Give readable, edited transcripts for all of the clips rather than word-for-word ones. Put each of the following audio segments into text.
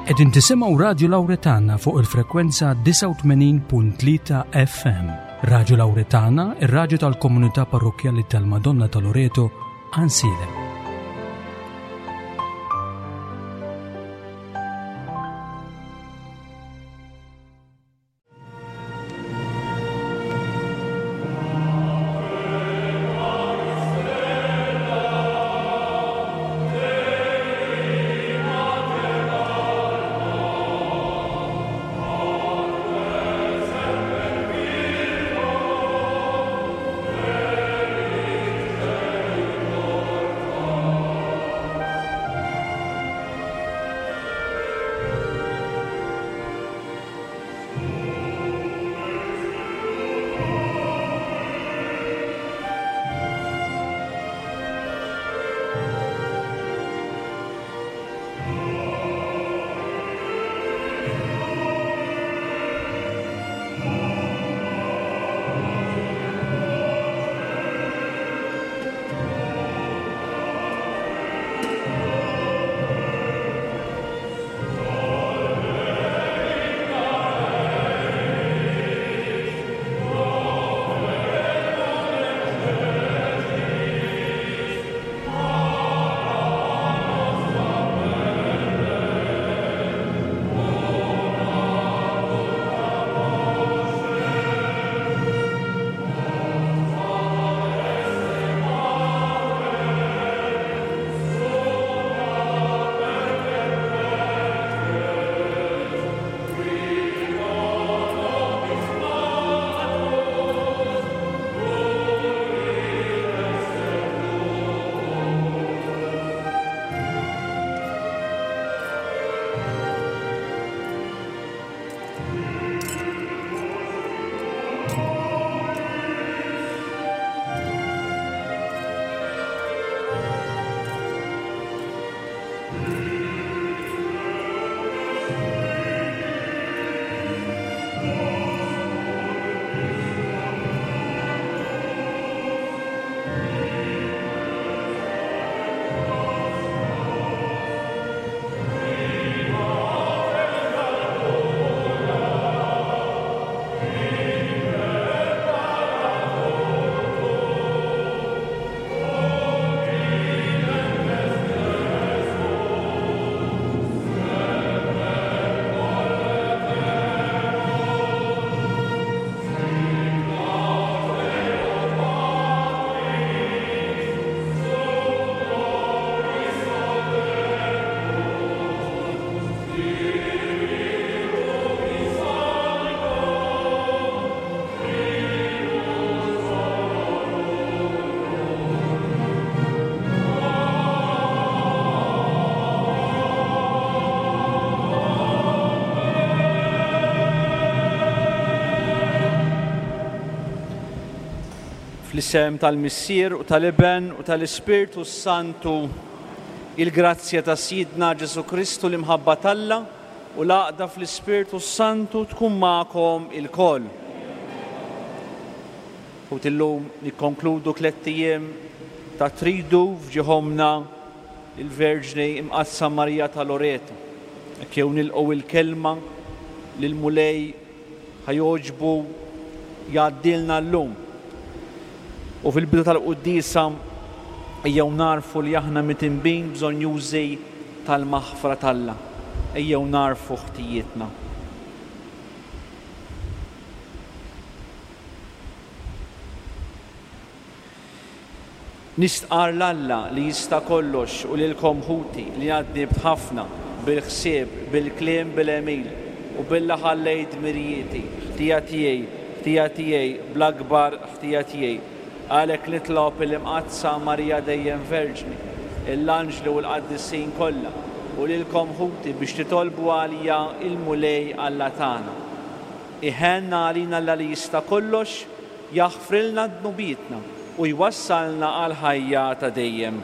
Qegħdin tisimgħu Radju Lawretana fuq il-frekwenza 89.3 FM. Radju Lawretana, ir-radju tal-komunità parrokkjali tal-Madonna ta' Loreto, Ansiedem. Fl-isem tal-Missier u tal-Iben u tal-Ispirtu s-Santu, il-grazzja ta' Sidna Ġesù Kristu l-imħabba t'Alla u l-għaqda fl-Ispirtu s-Santu tkun magħkom ilkoll. Ħuti llum nikkonkludu tlett ijiem ta' tridu f'ġieħ Ommna il-Verġni Imqaddsa Marija ta' Loreto. Hekk jew nilqgħu il-kelma li l-Mulej ħa jogħġbu jgħaddilna llum. U fil-bidu tal-quddiesa ejjew nagħrfu li aħna mitinbin bżonnjużi tal-maħfra t'Alla. Ejjew nagħrfu ħtijietna. Nistqarr 'l Alla li jista' kollox u lilkom ħuti li għad dnibt ħafna, bil-ħsieb, bil-kliem, bil-għemil, u billi ħallejt dmirijieti, ħtija tiegħi, ħtija tiegħi, bl-akbar ħtija tiegħi. Għalhekk nitlob il-Imqaddsa Marija Dejjem Verġni, l-anġli u l-qaddisin kollha, u lilkom ħuti biex titolbu għalija il-Mulej Alla tagħna. Iħenn għalina Alla li jista' kollox, jaħfrilna dnubietna u jwassalna għall-ħajja ta' dejjem.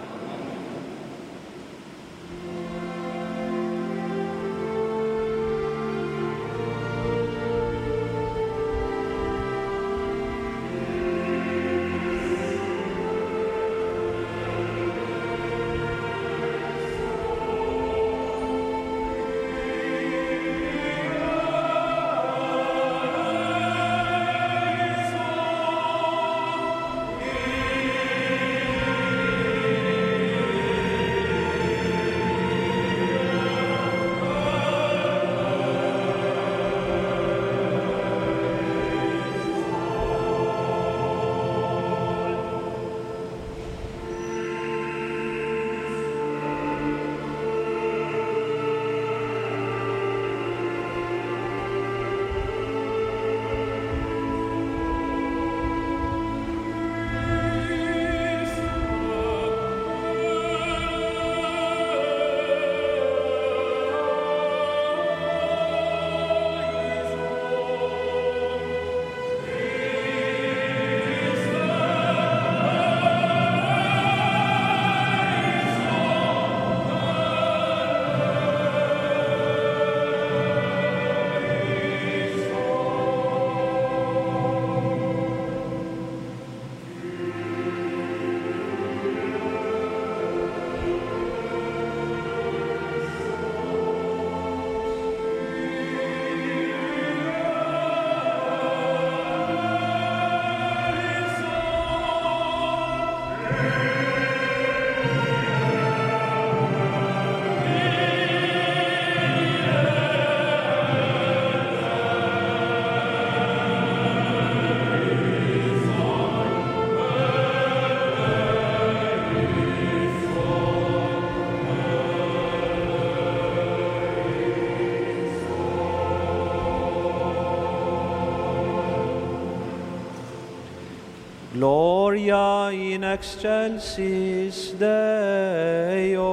Gloria in excelsis Deo.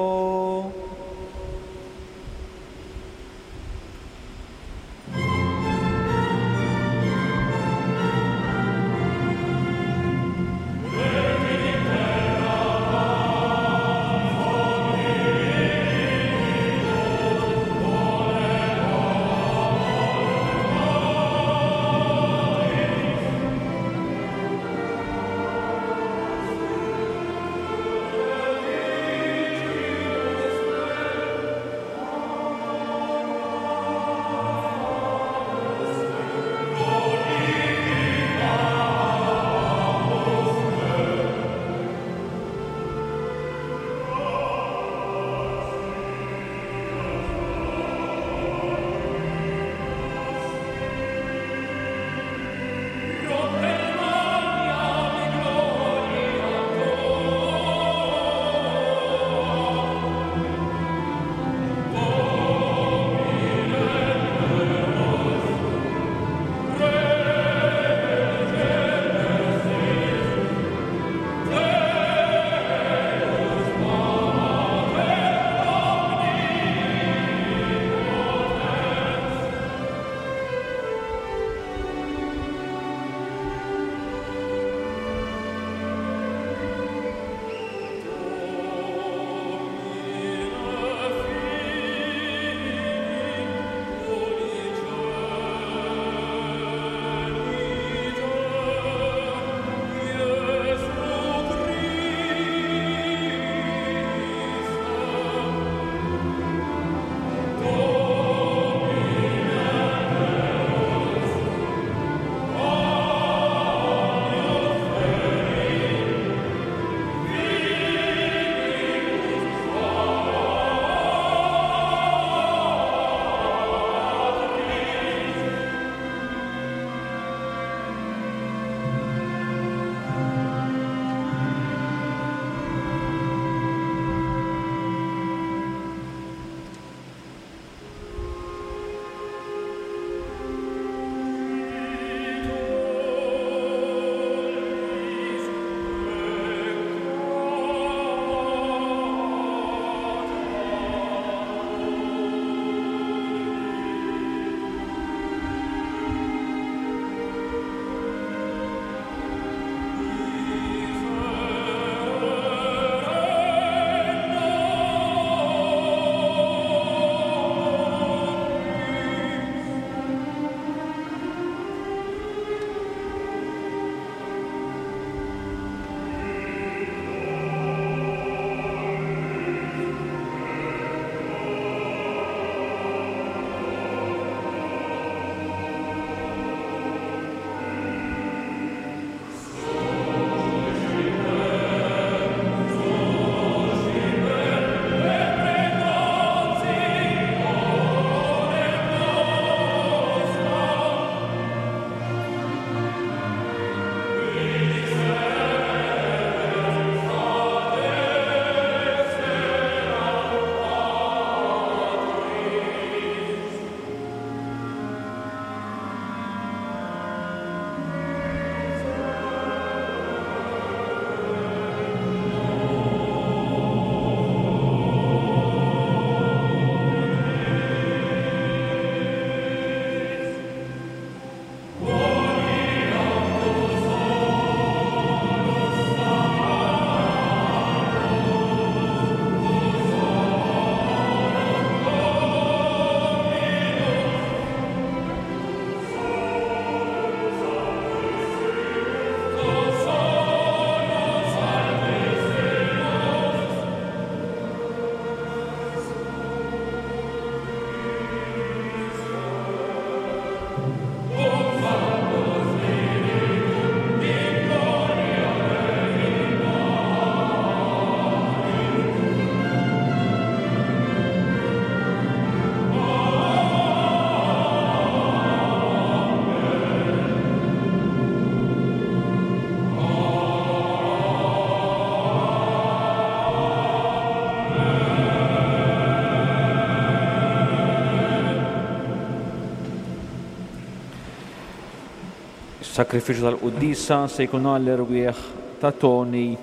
Is-sagrifiċċju tal-quddiesa se jkun għall-erwieħ ta' Tony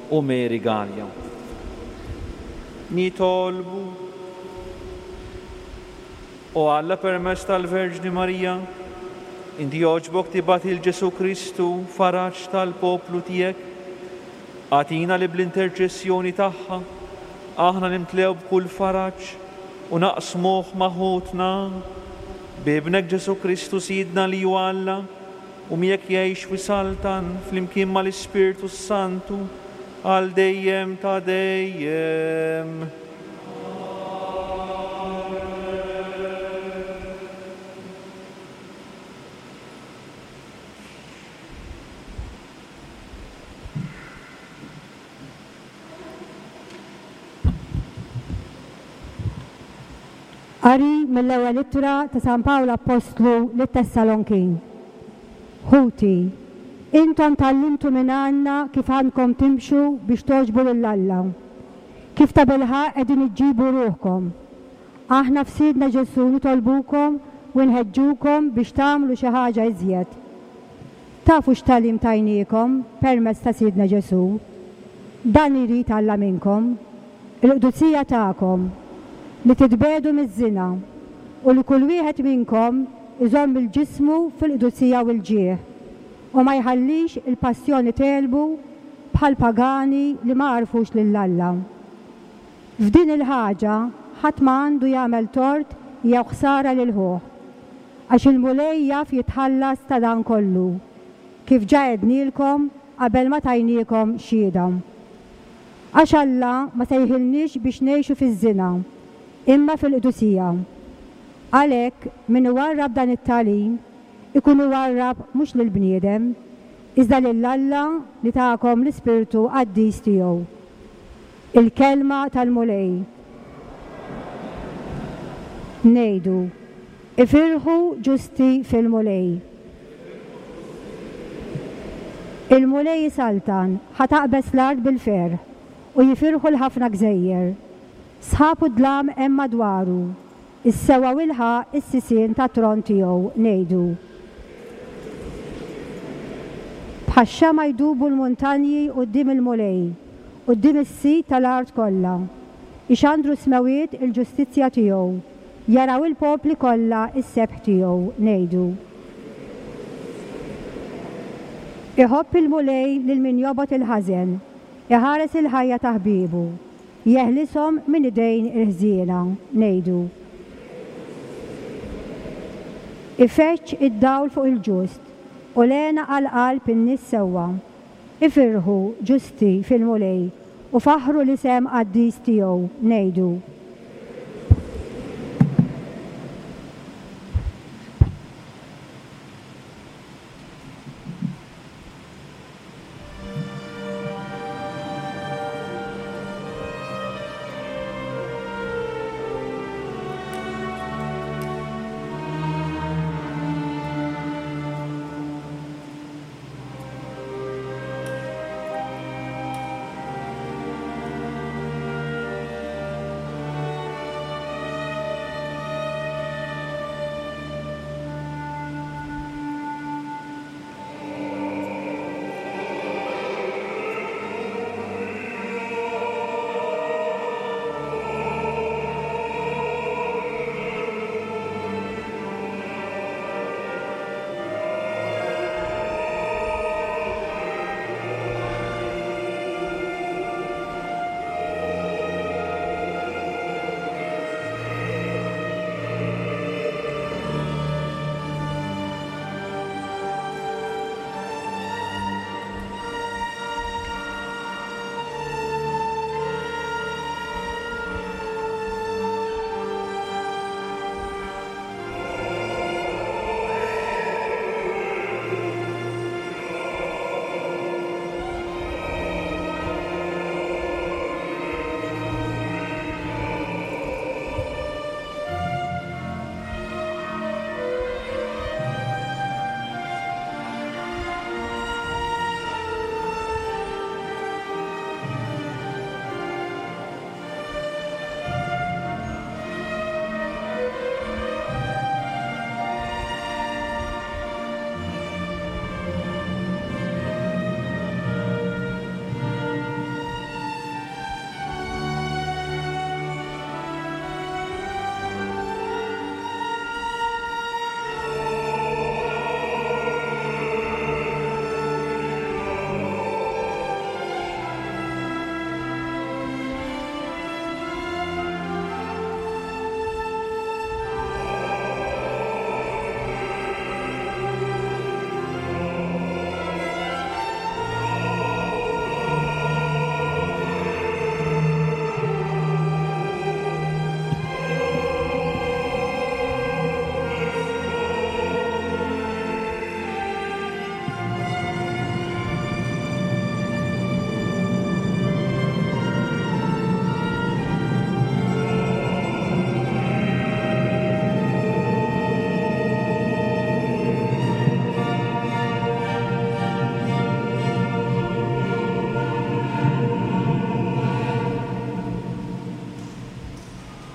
u Mary Galea. Nitolbu. O Alla permezz tal-Verġni Marija, inti jogħġbok tibgħat 'il Ġesù Kristu faraġ tal-poplu tiegħek. Agħtina li bl-interċessjoni tagħha aħna nimtlew b'kull faraġ u naqsmuh ma' ħutna. B'Ibnek Ġesù Kristu Sidna li hu Alla u miegħek jgħix u jsaltan flimkien mal-Ispirtu s-Santu għal dejjem ta' dejjem. Qari mill-Ewwel Ittra ta' San Pawl Appostlu lit-Tessalonkin. Ħuti, intom tgħallimtu minn għandna kif għandkom timxu biex togħġbu lil Alla. Kif tabilħaqq qegħdin iġġibu ruħkom. Aħna f'Sidna Ġesù nitolbukom u nħeġġukom biex tagħmlu xi ħaġa iżjed. Tafu x'tagħlim tajniekom permezz ta' Sidna Ġesù. Dan irid Alla minnkom, il-qdusija tagħkom, li titbiegħdu miż-żina, u li kull wieħed minnkom iżomm il-ġismu fil-qdusija u l-ġieħ, u ma jħallix il-passjoni tegħlbu bħall-pagani li ma għarfux lil Alla. F'din il-ħaġa ħadd ma għandu jagħmel tort jew ħsara lil ħuh, għax il-Mulej jaf jitħallas ta' dan kollu, kif ġa għednielkom qabel ma tajniekom xhieda. Għax Alla ma sejħilniex biex ngħixu fiż-żina, imma fil-qdusija. Għalhekk, min iwarrab dan it-tagħlim, ikun iwarrab mhux lill-bniedem, iżda lil Alla li takom l-Ispirtu Qaddis tiegħu. Il-Kelma tal-Mulej. Ngħidu, Ifirħu ġusti fil-Mulej. Il-Mulej isaltan, ħa taqbeż l-art bil-ferħ, u jifirħu l-ħafna gżejjer. Sħab u dlam hemm madwaru, Is-sewwa u l-ħaqq is-sisien tat-tron tiegħu, ngħidu. Bħax-xama' jdubu l-muntanji quddiem il-Mulej, quddiem is-Sid tal-art kollha. Ixandru s-smewwiet il-ġustizzja tiegħu, jaraw il-popli kollha s-sebħ tiegħu, ngħidu. Iħobb il-Mulej lil min jobgħod il-ħażen, iħares il-ħajja ta' ħbiebu. Jeħlishom minn idejn il-ħżiena, ngħidu. Ifeġġ id-dawl fuq il-ġust, u l-hena għal qalb in-nies sewwa. Ifirħu, ġusti, fil-Mulej, u faħħru l-isem qaddis tiegħu, ngħidu.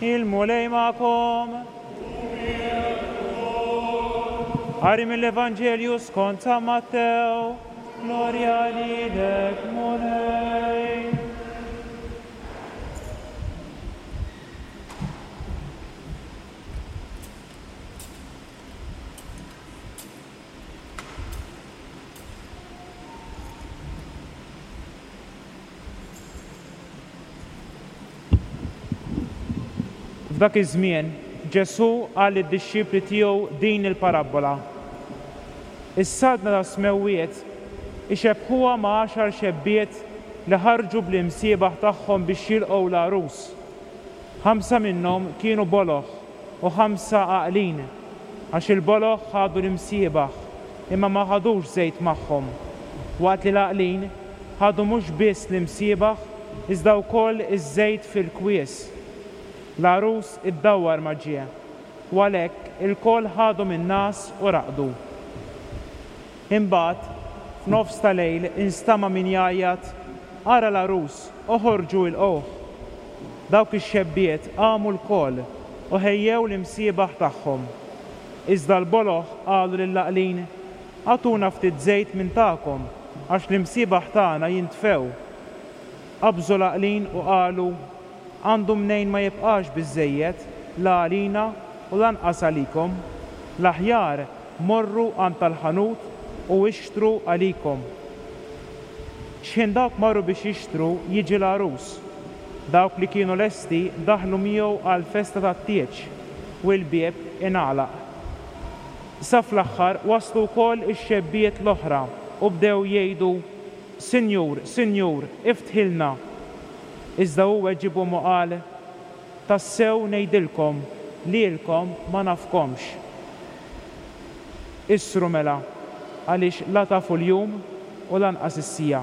Il-Mulej magħkom. Qari mill-Evanġelju skont San Mattew. Glorja lilek, Mulej. F'dak iż-żmien, Ġesù qal lid-dixxipli tiegħu din il-parabbola, Is-Saltna tas-smewwiet ixebbħuha ma' għaxar xebbiet li ħarġu bl-imsiebaħ tagħhom biex jilqgħu l-għarus. Ħamsa minnhom kienu boloh u ħamsa għaqlin, għax il-boloh ħadu l-imsiebaħ, imma ma ħadux żejt magħhom, waqt li l-għaqlin ħadu mhux biss l-imsiebaħ iżda wkoll iż-żejt fil-kwies. L-għarus iddawwar ma ġie, u għalhekk ilkoll ħadu min-ngħas u raqdu. Imbagħad, f'nofs ta' lejl instama' min jgħajjat, Ara l-għarus, oħorġu ilqgħuh! Dawk ix-xebbiet qamu lkoll u ħejjew l-imsiebaħ tagħhom. Iżda l-boloh qalu lill-għaqlin, Agħtuna ftit żejt minn tagħkom, għax l-imsiebaħ tagħna jintfew. Qabżu l-għaqlin u qalu, Għandu mnejn ma jibqax biżżejjed la għalina u lanqas għalikom. L-aħjar morru għand tal-ħanut u ixtru għalikom. X'ħin dawk marru biex jixtru, jiġi l-għarus. Dawk li kienu lesti daħlu miegħu għall-festa tat-tieġ, u l-bieb ingħalaq. Sa fl-aħħar waslu wkoll ix-xebbiet l-oħra u bdew jgħidu, Sinjur, Sinjur, iftħilna! Iżda hu weġibhom u qal, Tassew ngħidilkom, lilkom ma nafkomx. Issru mela, għaliex la tafu l-jum u lanqas is-siegħa.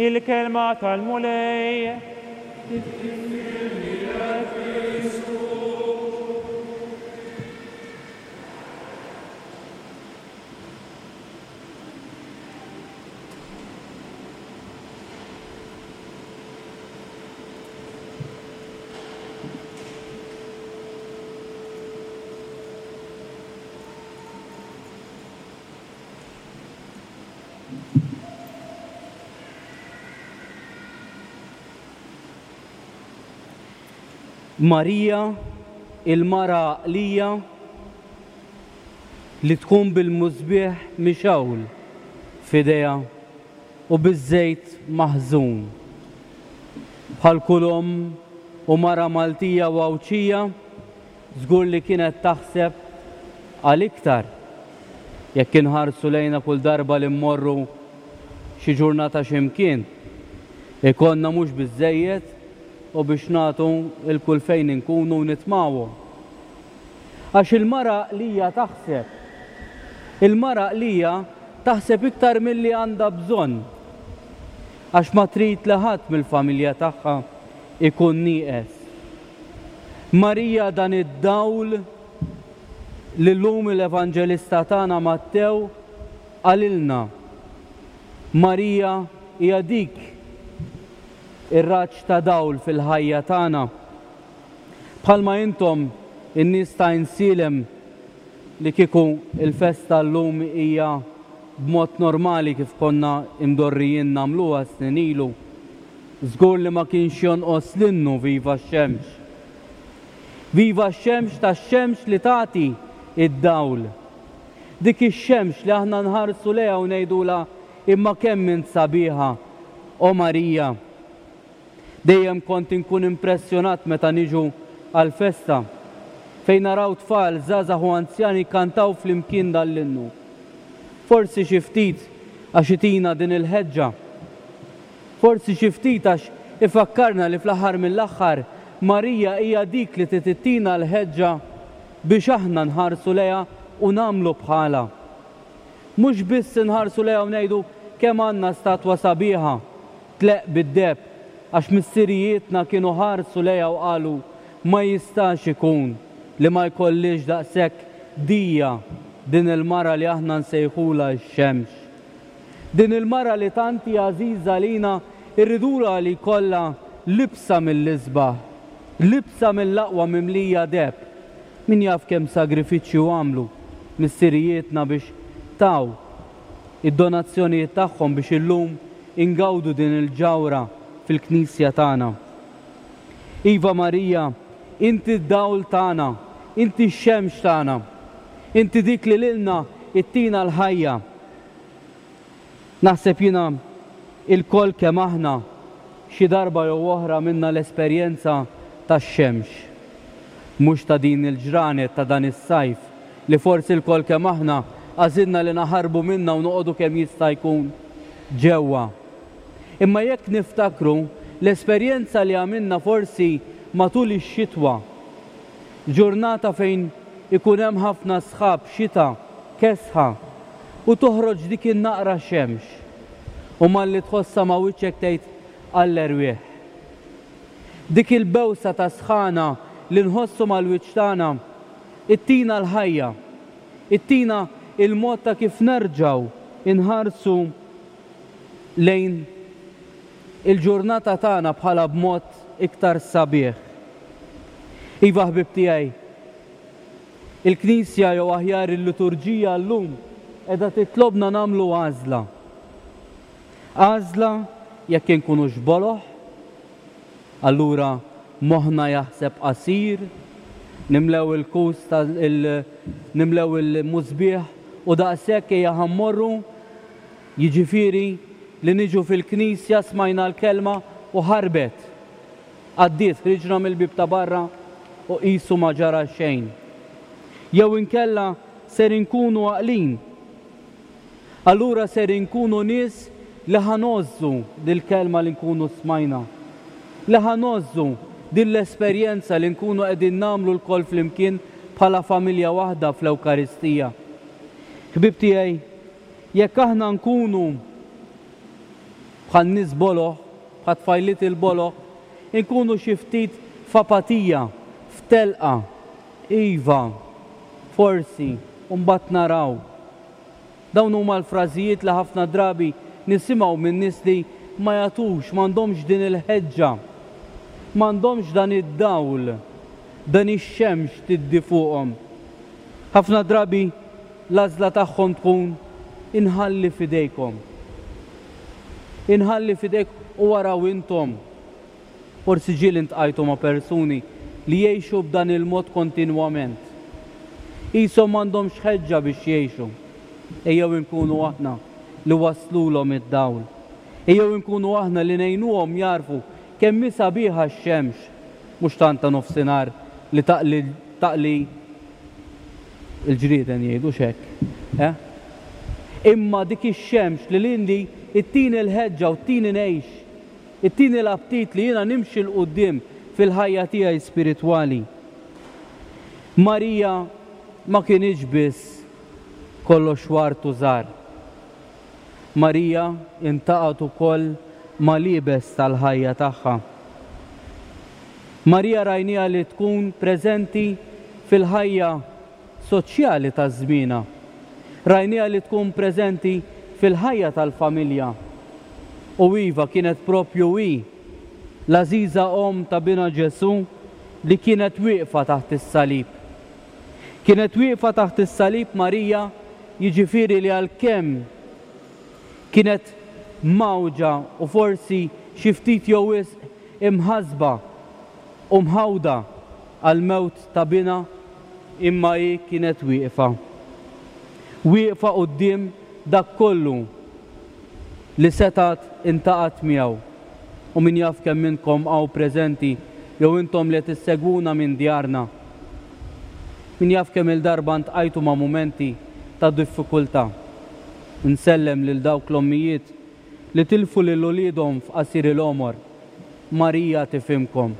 Il-kelma tal-Mulej. Tifħir lilek Kristu. Marija, il-mara għaqlija, li tkun bil-musbieħ mixgħul f'idejha u biż-żejt maħżun. Bħal kull omm u mara Maltija u Għawdxija, żgur li kienet taħseb għal iktar. Jekk inħarsu lejna kull darba li mmorru xi ġurnata xi mkien, ikollna mhux biżżejjed u biex nagħtu 'l kull fejn inkunu u nitmgħuhom. Għax il-mara għaqlija taħseb. Il-mara għaqlija taħseb iktar milli għandha bżonn. Għax ma trid li ħadd mill-familja tagħha jkun nieqes. Marija dan id-dawl li llum l-Evanġelista tagħna Mattew qalilna. Marija hija dik ir-raġġ ta' dawl fil-ħajja tagħna. Bħalma intom in-nies ta' Għajnsielem li kieku l-festa llum hija b'mod normali kif konna imdorrijin nagħmluha snin ilu, żgur li ma kienx jonqos l-innu Viva x-Xemx. Viva x-xemx tax-xemx li tagħti d-dawl. Dik ix-xemx li aħna nħarsu lejha u ngħidulha imma kemm int sabiħa, O Marija. Dejjem kont inkun impressjonat meta niġu għall-festa, fejn naraw tfal, żgħażagħ u anzjani jkantaw flimkien dan l-innu. Forsi xi ftit għax itina din il-ħeġġa. Forsi xi ftit għax ifakkarna li fl-aħħar mill-aħħar Marija hija dik li trid ittina l-ħeġġa biex aħna nħarsu lejha u nagħmlu bħalha. Mhux biss inħarsu lejha u ngħidu kemm għandna statwa sabiħa, tleqq bid-deheb, għax missirijietna kienu ħarsu lejha u qalu, Ma jistax ikun li ma jkollhiex daqshekk dija din il-mara li aħna nsejħulha x-xemx. Din il-mara li tant hi għażiża għalina rridulha li jkollha. libsa mill-isbaħ, libsa mill-aqwa mimlija deheb. Min jaf kemm sagrifiċċju għamlu missirijietna biex taw id-donazzjonijiet tagħhom biex illum ingawdu din il-ġawhra fil-knisja tagħna. Iva Marija, inti d-dawl tagħna, inti x-xemx tagħna. Inti dik li lilna ittina l-ħajja. Naħseb jiena ilkoll kemm aħna xi darba jew oħra għamilna l-esperjenza tax-xemx. Mhux ta' din il-ġranet ta' dan is-sajf li forsi lkoll kemm aħna għażilna li naħarbu minnha u noqogħdu kemm jista' jkun ġewwa. Imma jekk niftakru l-esperjenza li għamilna forsi matul ix-xitwa, ġurnata fejn ikun hemm ħafna sħab, xita, kesħa, u toħroġ dik in-naqra xemx, u malli tħossha ma' wiċċek tgħid għall-erwieħ. Dik il-bewsa ta' sħana li nħossu mal-wiċċ tagħna ittina l-ħajja, ittina il-mod ta' kif nerġgħu nħarsu lejn il-ġurnata tagħna bħala b'mod iktar sabiħ. Iva ħbieb tiegħi, il-Knisja jew aħjar il-liturġija llum qiegħda titlobna nagħmlu għażla. Għażla jekk inkunux boloh, allura moħħna jaħseb qasir, nimlew il-kus ta' il nimlew il-musbieħ u daqshekk ejja ħa mmorru, jiġifieri li niġu fil-knisja smajna l-kelma u ħarbet. Għaddiet, ħriġna mill-bieb ta' barra u qisu ma ġara xejn. Jew inkella ser inkunu għaqlin. Allura ser inkunu nies li ħa ngħożżu dil-kelma li nkunu smajna. Li ħa ngħożżu din l-esperjenza li nkunu qegħdin nagħmlu lkoll flimkien bħala familja waħda fl-Ewkaristija. Ħbieb tiegħi, jekk aħna nkunu bħal nies boloh, bħat-tfajliet il-boloh, inkunu xi ftit f'apatija, f'telqa, iva, forsi, u mbagħad naraw. Dawn huma l-frażijiet li ħafna drabi nisimgħu minn nies li ma jagħtux, m'għandhomx din il-ħeġġa, m'għandhomx dan id-dawl, dan ix-xemx tiddi fuqhom. Ħafna drabi l-għażla tagħhom tkun inħalli f'idejkom. Inħalli f'idejk u araw intom. Forsi ġieli ntqajtu ma' persuni li jgħixu b'dan il-mod kontinwament. Qishom m'għandhomx ħeġġa biex jgħixu. Ejjew inkunu aħna li wasslulhom id-dawl. Ejjew inkunu aħna li ngħinuhom jagħrfu kemm hi sabiħa x-xemx, mhux tant ta' nofsinhar li taqli taqli l-ġrieden jgħidu hekk, eh? Imma dik ix-xemx li lili ttini l-ħeġġa u ttini ngħix, ittini l-aptit li jiena nimxi 'l quddiem fil-ħajja tiegħi spiritwali. Marija ma kinitx biss kollox ward u żgħar. Marija intaqgħet ukoll mal-iebes tal-ħajja tagħha. Marija rajniha li tkun preżenti fil-ħajja soċjali ta' żmienha. Rajniha li tkun preżenti fil-ħajja tal-familja. U iva, kienet proprju hi, l-għażiża omm ta' Binha Ġesù, li kienet wieqfa taħt is-salib. Kienet wieqfa taħt is-salib Marija, jiġifieri li għalkemm kienet mgħawġa u forsi xi ftit jew wisq imħassba u mħawda għall-mewt ta' binha, imma hi kienet wieqfa. Wieqfa quddiem dak kollu li setgħet intaqgħet miegħu. U min jaf kemm minnkom hawn preżenti jew intom li qed issegwuna minn djarna, min jaf kemm-il darba ntqajtu ma' mumenti ta' diffikultà. Insellem lil dawk l-ommijiet li tilfu lil uliedhom f'qasir il-għomor. Marija tifhimkom.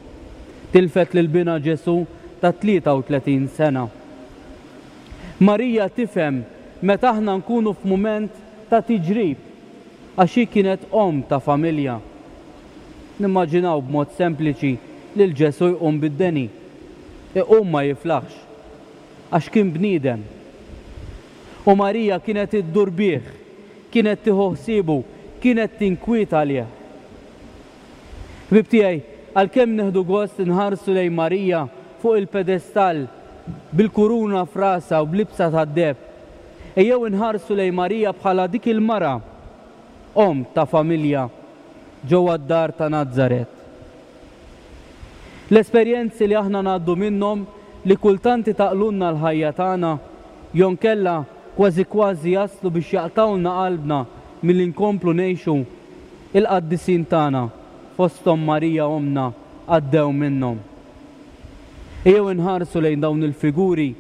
Tilfet lil binha Ġesù ta' 33 sena. Marija tifhem meta aħna nkunu f'mument ta' tiġrib għax hi kienet omm ta' familja. Nimmaġinaw b'mod sempliċi lil Ġesù jqum bid-deni. Iqum ma jiflaħx. Għax kien bniedem. U Marija kienet iddur bih, kienet tieħu ħsiebu, kienet tinkwieta għalih. Ħbieb tiegħi, għalkemm nieħdu gost inħarsu lejn Marija fuq il-pedestall bil-kuruna f'rasha u b'libsa tad-deheb, ejjew inħarsu lejn Marija bħala dik il-mara, omm ta' familja ġewwa d-dar ta' Nazaret. L-esperjenzi li aħna ngħaddu minnhom li kultant itaqlulna l-ħajja tagħna, jonkella kważi kważi jaslu biex jaqtgħulna qalbna milli nkomplu ngħixu, il-qaddisin tagħna, fosthom Marija Ommna, għaddew minnhom. Ejjew inħarsu lejn dawn il-figuri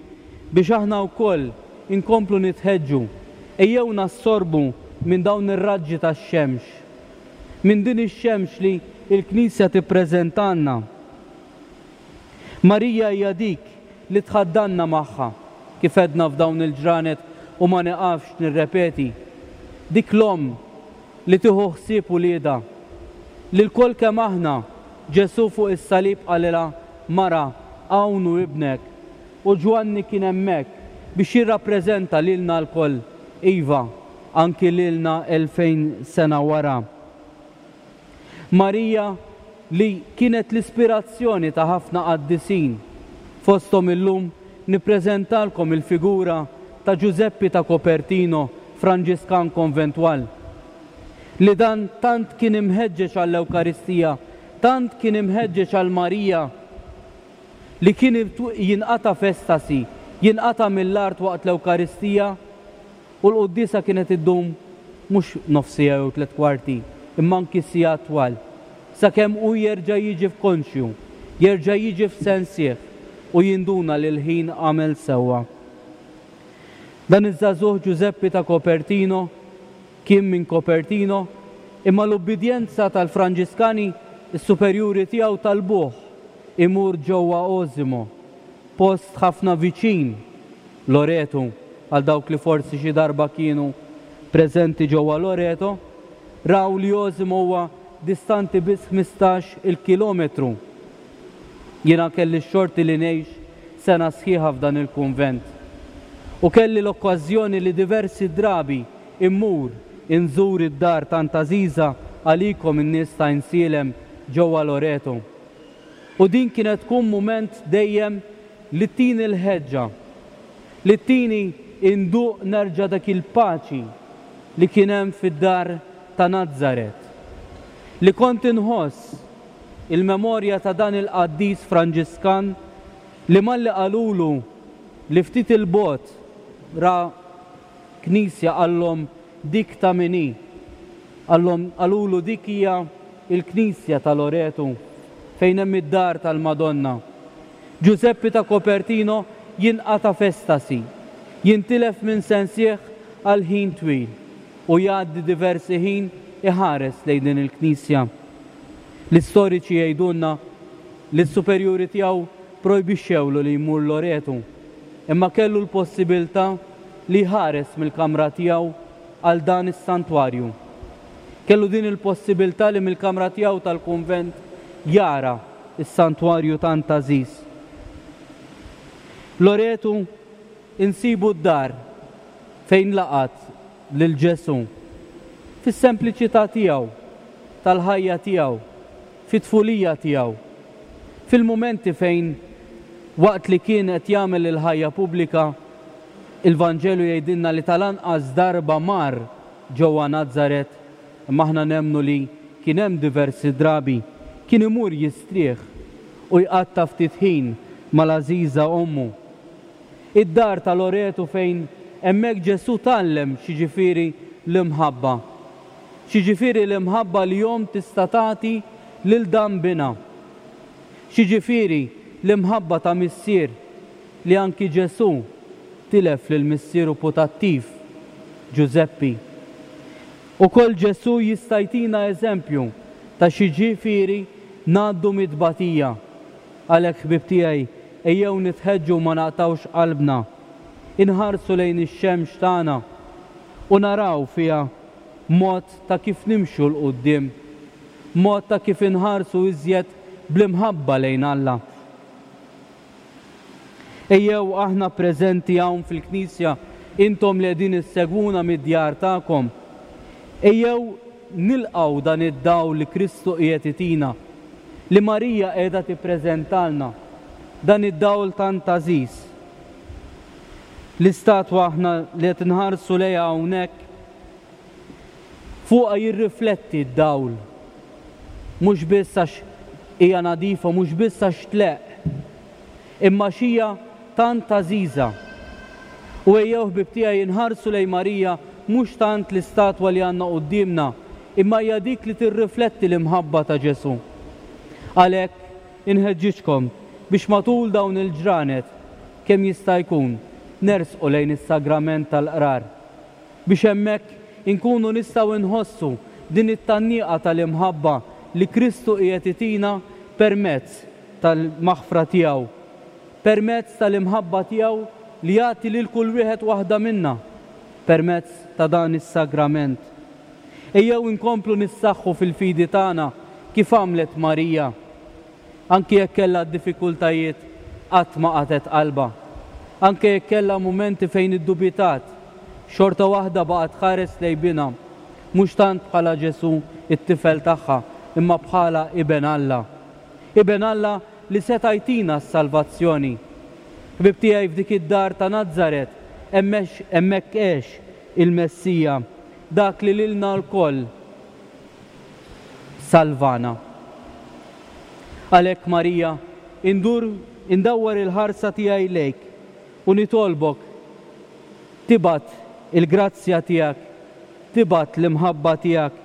biex aħna wkoll inkomplu nitħeġġu, ejjew nassorbu minn dawn ir-raġġi tax-xemx, minn din ix-xemx li l-Knisja tippreżentalna. Marija hija dik li tħaddanna magħha, kif għedna f'dawn il-ġranet u ma nieqafx nirrepeti, dik l-Omm li tieħu ħsieb uliedha, li lkoll kemm aħna, Ġesù fuq is-salib qalilha, Mara, hawn hu ibnek. U Ġwanni kien hemmhekk biex jirrappreżenta lilna lkoll, iva, anki lilna 2000 sena wara. Marija li kienet l-ispirazzjoni ta' ħafna qaddisin, fosthom illum nippreżentalkom il-figura ta' Ġużeppi ta' Copertino, Franġiskan Konventwal, li dan tant kien imħeġġeġ għall-Ewkaristija, tant kien imħeġġeġ għal Marija, li kien jinqata' f'estasi, jinqata' mill-art waqt l-Ewkaristija, U l-quddiesa kienet iddum mhux nofs siegħa jew tlett kwarti, imma anki sigħat twal, sakemm hu jerġa' jiġi f'konxju, jerġa' jiġi f'sensih u jinduna li l-ħin għamel sewwa. Dan iż-żagħżugħ Ġużeppi ta' Copertino kien minn Copertino, imma l-ubbidjenza tal-Franġiskani, is-superjuri tiegħu talbuh imur ġewwa Osimo, post ħafna viċin Loreto, għal dawk li forsi xi darba kienu preżenti ġewwa Loreto, raw li Osimo huwa distanti biss 15 il kilometru. Jiena kelli x-xorti li ngħix sena sħiħa f'dan il-kunvent. U kelli l-okkażjoni li diversi drabi immur inżur id-dar tant għażiża għalikom in-nies ta' Għajnsielem ġewwa Loreto. U din kienet tkun mument dejjem li ttini l-ħeġġa, li ttini nduq nerġa' dak il-paċi li kien hemm fid-dar ta' Nazaret, li kont inħoss il-memorja ta' dan il-qaddis Franġiskan li malli qalulu li ftit 'il bogħod ra knisja qallhom dik ta' min hi? Qallhom qalulu dik hija l-knisja ta' Loretu fejn hemm id-dar tal-Madonna. Ġużeppi ta' Copertino jinqata' f'estasi, jintilef minn sensih għal ħin twil u jgħaddi diversi ħin iħares lejn din il-knisja. L-istoriċi jgħidulna li s-superjuri tiegħu projbixxewlu li jmur Loretu, imma kellu l-possibiltà li jħares mill-kamra tiegħu għal dan is-santwarju. Kellu din il-possibiltà li mill-kamra tiegħu tal-kunvent jara s-santwarju tant għażiż. Loretu insibu d-dar fejn laqgħet lil Ġesù fis-sempliċità tiegħu, tal-ħajja tiegħu, fit-tfulija tiegħu, fil-mumenti fejn waqt li kien qed jagħmel il-ħajja pubblika, il-Vanġelu jgħidilna li tal-anqas darba mar ġewwa Nazaret, imma aħna nemmnu li kien hemm diversi drabi, kien imur jistrieħ u jqatta' ftit ħin mal-għażiża ommu. Id-dar ta' Loretu fejn hemmhekk Ġesù tgħallem x'jiġifieri l-imħabba. X'jiġifieri l-imħabba li omm tista' tagħti lil dan binha. X'jiġifieri l-imħabba ta' missier li anki Ġesù tilef lil missieru putattiv, Ġużeppi. Ukoll Ġesù jista' jtina eżempju ta' x'jiġifieri ngħaddu mit-tbatija. Għalhekk ħbieb tiegħi, ejjew nitħeġġu u ma naqtgħux qalbna. Inħarsu lejn ix-xemx tagħna u naraw fiha mod ta' kif nimxu 'l quddiem, mod ta' kif inħarsu iżjed bl-imħabba lejn Alla. Ejjew aħna preżenti hawn fil-knisja, intom li qegħdin issegwuna mid-djar tagħkom, ejjew nilqgħu dan id-dawl li Kristu qiegħed itina. li Marija qiegħda tippreżentalna, dan id-dawl tant għażiż. L-istatwa aħna li qed inħarsu lejha hawnhekk fuqha jirrifletti d-dawl. Mhux biss għax hija nadifa, mhux biss għax tleqq, imma għax hija tant għażiża. U ejjew ħbieb tiegħi inħarsu lejn Marija mhux tant l-istatwa li għandna quddiemna, imma hija dik li tirrifletti l-imħabba ta' Ġesù. Għalhekk, inħeġġiġkom biex matul dawn il-ġranet, kemm jista' jkun, nersqu lejn is-Sagrament tal-Qrar, biex hemmhekk inkunu nistgħu nħossu din it-tgħanniqa tal-imħabba li Kristu qiegħed itina permezz tal-maħfra tiegħu, permezz tal-imħabba tiegħu li jagħti lil kull wieħed waħda minna permezz ta' dan is-sagrament. Ejjew inkomplu nissaħħu fil-fidi tagħna kif għamlet Marija. Anki jekk kellha d-diffikultajiet, qatt ma qatgħet qalbha. Anke jekk kellha mumenti fejn iddubitat, xorta waħda baqgħet tħares lejn binha, mhux tant bħala Ġesù, it-tifel tagħha, imma bħala Iben Alla. Iben Alla li seta' jtina s-salvazzjoni. Ħbieb tiegħi f'dik id-dar ta' Nazaret, hemmhekk għex il-Messija, dak li lilna lkoll salvana. Għalhekk, Marija, indur, indawwar il-ħarsa tiegħi lejk u nitolbok tibgħat il-grazzja tiegħek, tibgħat l-imħabba tiegħek,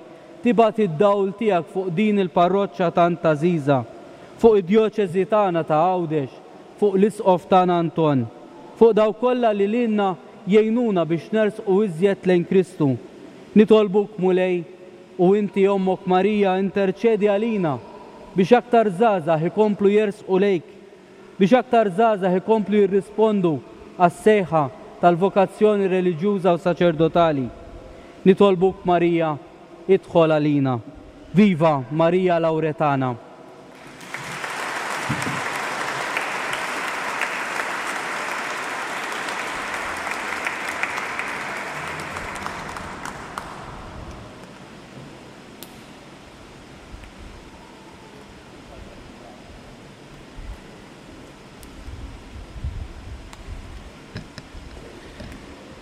tibgħat id-dawl tiegħek fuq din il-parroċċa tant għażiża, fuq id-djoċesi tagħna ta' Għawdex, fuq l-Isqof tagħna Anton, fuq dawk kollha li lilna jgħinuna biex nersqu iżjed lejn Kristu. Nitolbuk, Mulej, u inti Ommok Marija interċedi għalina biex aktar żgħażagħ ikomplu jersqu lejk, biex aktar żgħażagħ ikomplu jirrispondu għas-sejħa tal-vokazzjoni reliġjuża u saċerdotali. Nitolbuk Marija, idħol għalina. Viva Marija Lauretana!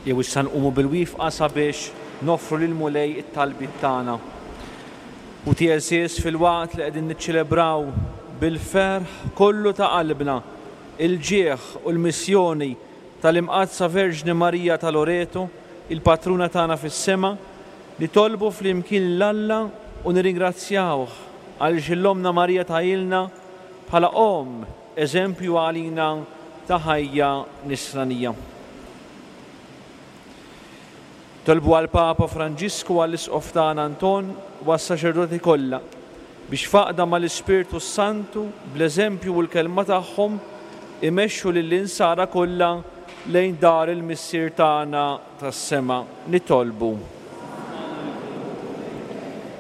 Jew issa nqumu bil-wifqa sabiex noffru lill-Mulej it-talbiet tagħna. U għeżież filwaqt li qegħdin niċċelebraw bil-ferħ kollu ta' qalbna il-ġieħ u l-missjoni tal-Imqaddsa Verġni Marija ta' Loreto, il-Patruna tagħna fis-sema, nitolbu flimkien lil Alla u nirringrazzjawh għaliex 'l Ommna Marija tahielna bħala Omm eżempju għalina ta' ħajja nisranija. Nitolbu għall-Papa Franġisku, għall-Isqof tagħna Anton u għas-saċerdoti kollha biex f'għaqda mal-Ispirtu s-Santu, bl-eżempju u l-kelma tagħhom, imexxu lill-insara kollha lejn dar il-Missier tagħna tas-sema. Nitolbu.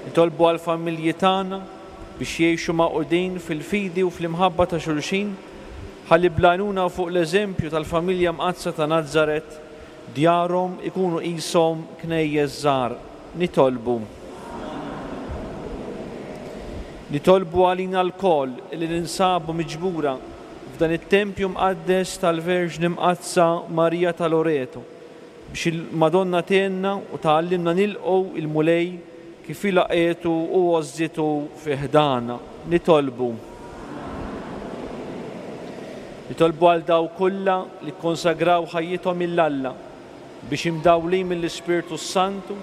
Nitolbu għall-familji tagħna biex jgħixu magħqudin fil-fidi u fl-imħabba ta' xulxin, ħalli bl-għajnuna u fuq l-eżempju tal-familja mqaddsa ta' Nazaret, Djarhom ikunu qishom knejjes żgħar. Nitolbu. Nitolbu għalina lkoll li ninsabu miġbura f'dan it-tempju mqaddes tal-Verġni Mqaddsa Marija ta' Loreto, biex il-Madonna tgħinna u tgħallimna nilqgħu il-Mulej kif hi laqgħetu u għożżitu fi ħdanha. Nitolbu. Nitolbu għal dawk kollha li kkonsagraw ħajjithom 'il Alla biex imdawlin mill-Ispirtu s-Santu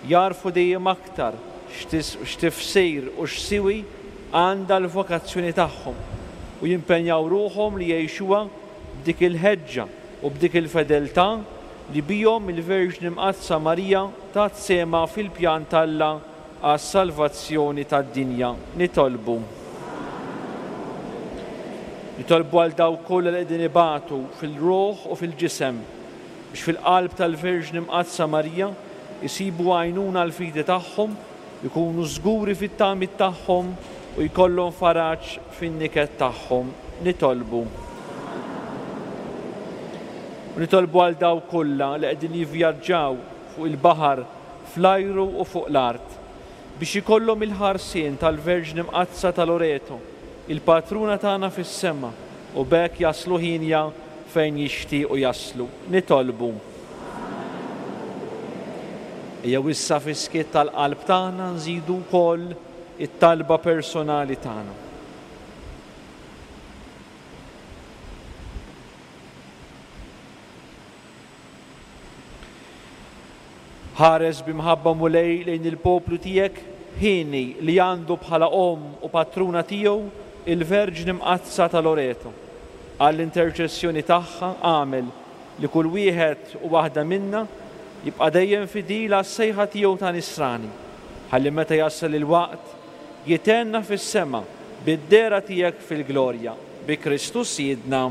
jagħrfu dejjem aktar x'tifsir u x'siwi għandha l-vokazzjoni tagħhom u jimpenjaw ruħhom li jgħixuha b'dik il-ħeġġa u b'dik il-fedeltà li bihom il-Verġni Mqaddsa Marija tat sehemha fil-pjan t'Alla għas-salvazzjoni tad-dinja. Nitolbu. Nitolbu għal dawk kollha li qegħdin ibatu fil-ruħ u fil-ġisem, biex fil-qalb tal-Verġni Mqaddsa Marija jsibu għajnuna għall-fidi tagħhom, ikunu żguri fit-tamiet tagħhom u jkollhom faraġ fin-niket tagħhom. Nitolbu. U nitolbu għal dawk kollha li qegħdin jivvjaġġaw fuq il-baħar, fl-ajru u fuq l-art, biex ikollhom il-ħarsien tal-Verġni Mqaddsa ta' Loreto. il-Patruna tagħna fis-sema, u b'hekk jaslu hienja fejn jixtiequ jaslu. Nitolbu. Ejjew issa fis-skiet tal-qalb tagħna nżidu wkoll it-talba personali tagħna. Ħares bi mħabba Mulej lejn il-poplu tiegħek hieni li għandu bħala omm u patruna tiegħu il-Verġni Mqaddsa ta' Loreto. Għall-interċessjoni tagħha agħmel li kull wieħed u waħda minna jibqa' dejjem fidil għas-sejħa tiegħu ta' Nisrani, ħalli meta jasal il-waqt jithenna fis-sema bid-dehra tiegħek fil-glorja. Bi Kristu Sidna.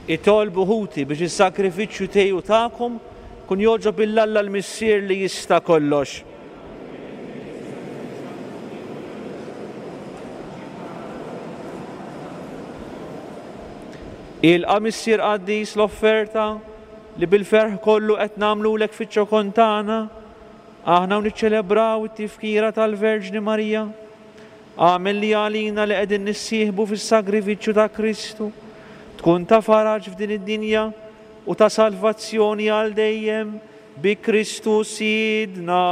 Itolbu ħuti biex is-sagrifiċċju tiegħi u tagħkom Kun jogħġob 'il Alla l-Missier li jista' kollox. Ilqa' Missier Qaddis l-offerta li bil-ferħ kollu qed nagħmlulek fiċ-ċokon tagħna, aħna u niċċelebraw it-tifkira tal-Verġni Marija. Agħmel li għalina li qegħdin nissieħbu fis-sagrifiċċju ta' Kristu, tkun ta' faraġ f'din id-dinja u ta' salvazzjoni għal dejjem bi Kristu Sidna.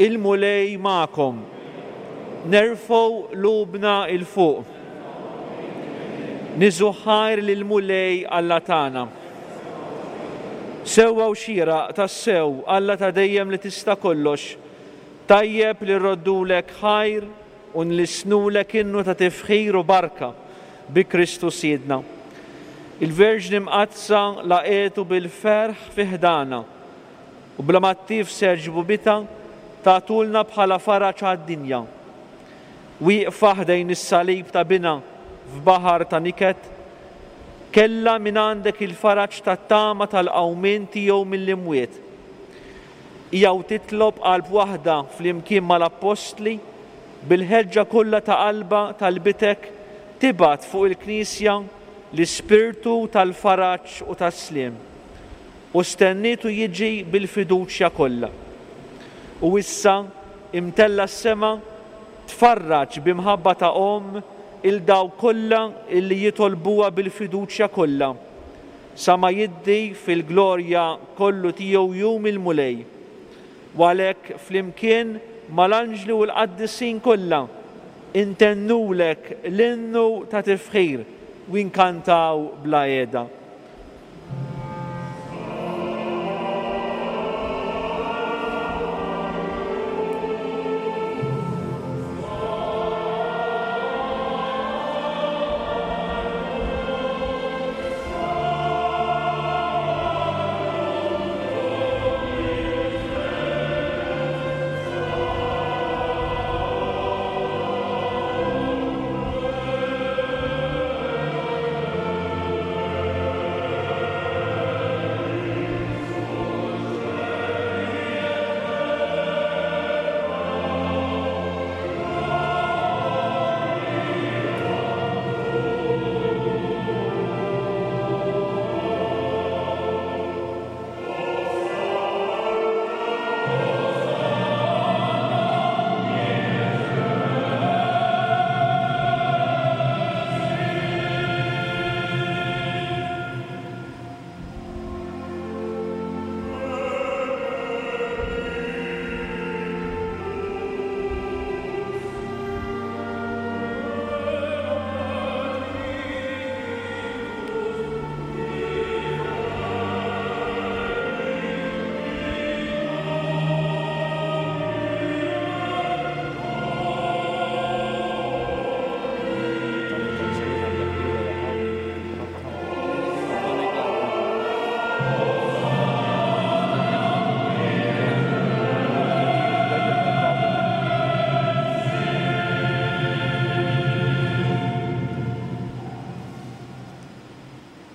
Il-Mulej magħkom. Nerfgħu qlubna 'l fuq. Niżu ħajr lill-Mulej Alla tagħna. Sewwa u xieraq, tassew, Alla ta' dejjem li tista' kollox, tajjeb li rroddulek ħajr u nlissnulek innu ta' tifħir u barka bi Kristu Sidna. Il-Verġni Mqaddsa laqgħetu bil-ferħ fi ħdanha, u bla ma ttifser ġbubitha tagħtulna bħala faraġ għad-dinja. Wieqfa ħdejn is-salib ta' Binha f'baħar ta' niket, kellha mingħandek il-faraġ tat-tama tal-qawmien tiegħu mill-imwiet. Hija u titlob qalb waħda flimkien mal-appostli, bil-ħeġġa kollha ta' qalbha talbitek tibgħat fuq il-Knisja l-Ispirtu tal-faraġ u tas-sliem, u stennietu jiġi bil-fiduċja kollha. U issa, imtella' s-sema, tfarraġ bi mħabba ta' omm 'il dawk kollha illi jitolbuha bil-fiduċja kollha, sa ma jiddi fil-glorja kollu tiegħu jum il-Mulej. U għalhekk flimkien mal-anġli u l-qaddisin kollha intennulek l-innu ta' tifħir u nkantaw bla qiegħda.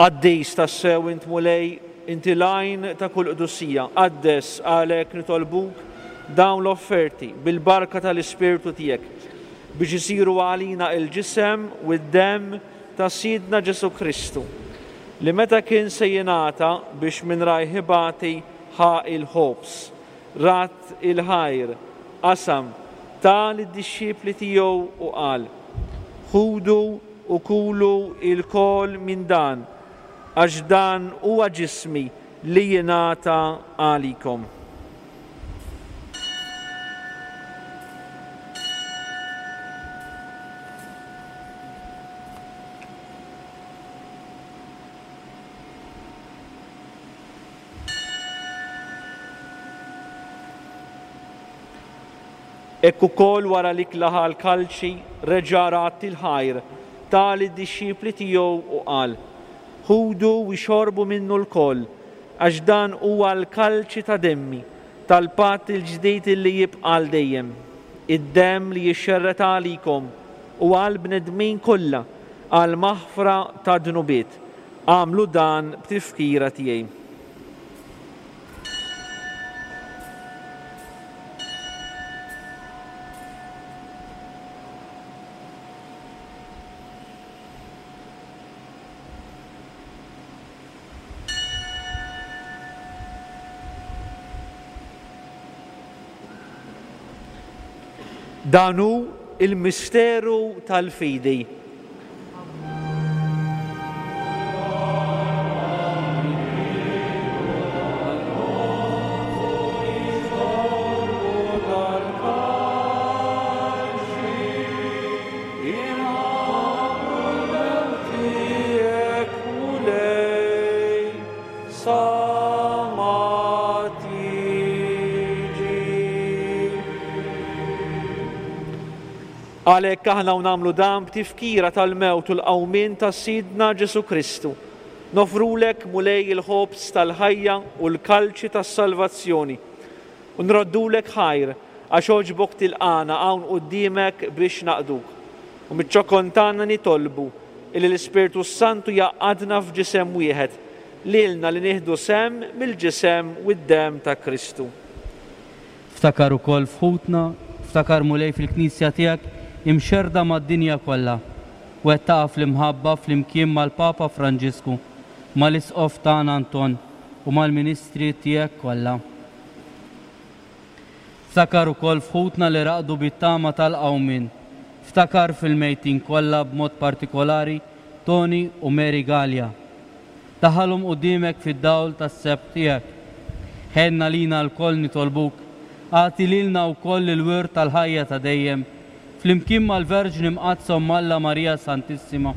Qaddis tassew int Mulej, inti l-għajn ta' kull qdusija. Qaddes għalhekk nitolbuk dawn l-offerti bil-barka tal-Ispirtu tiegħek biex isiru għalina il-ġisem u d-demm ta' Sidna Ġesù Kristu, li meta kien se jingħata biex minn rajh ibati ħa l-ħobż, radd il-ħajr, qasam, ta lid-dixxipli tiegħu u qal, Ħudu u kulu lkoll minn dan, għax dan huwa ġismi li jingħata għalikom. Hekk ukoll wara l-ikla ħa l-kalċi, reġa' radd il-ħajr, ta lid-dixxipli tiegħu u qal, Ħudu u ixorbu minnu lkoll, għax dan huwa l-kalċi ta' demmi, tal-patt il-ġdid illi jibqa' għal dejjem, id-demm li jixxerred għalikom u għall-bnedmin kollha għall-maħfra tad-dnubiet. Agħmlu dan b'tifkira tiegħi. Dan hu l-misteru tal-fidi. Għalhekk aħna u nagħmlu dan b'tifkira tal-mewt u l-qawmien ta' Sidna Ġesù Kristu, noffrulek, Mulej, il-ħobż tal-ħajja u l-kalċi tas-salvazzjoni, u nroddulek ħajr għax għoġbok tilqagħna hawn quddiemek biex naqduk. U miċ-ċokon tagħna nitolbu illi l-Ispirtu s-Santu jgħaqqadna f'ġisem wieħed, lilna li nieħdu sehem mill-ġisem u d-demm ta' Kristu. Ftakar ukoll f'ħutna, ftakar Mulej fil-Knisja tiegħek imxerrda mad-dinja kollha, wettaqha fl-imħabba flimkien mal-Papa Franġisku, mal-Isqof tagħna Anton u mal-ministri tiegħek kollha. Ftakar ukoll f'ħutna li raqdu bit-tama tal-qawmien. Ftakar fil-mejtin kollha b'mod partikolari Tony u Mary Galea. Daħħalhom quddiemek fid-dawl tas-sebħ tiegħek. Ħenn għalina lkoll nitolbuk, agħti lilna wkoll il-wirt tal-ħajja ta' dejjem, flimkien mal-Verġni Mqaddsa Omm Alla Marija Santissima,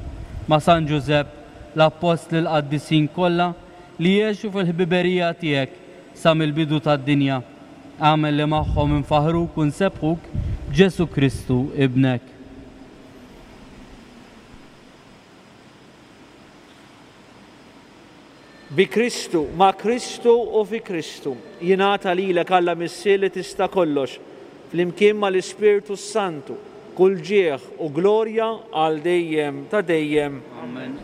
ma' San Ġużepp, l-Appostli l-qaddisin kollha li għexu fil-ħbiberija tiegħek sa mill-bidu tad-dinja, agħmel li magħhom infaħħruk u nsebbħuk b'Ġesù Kristu, Ibnek. Bi Kristu, ma' Kristu u fi Kristu, jingħata lilek Alla Missier li tista' kollox, flimkien mal-Ispirtu s-Santu, kull ġieħ u glorja għal dejjem ta' dejjem. Amen.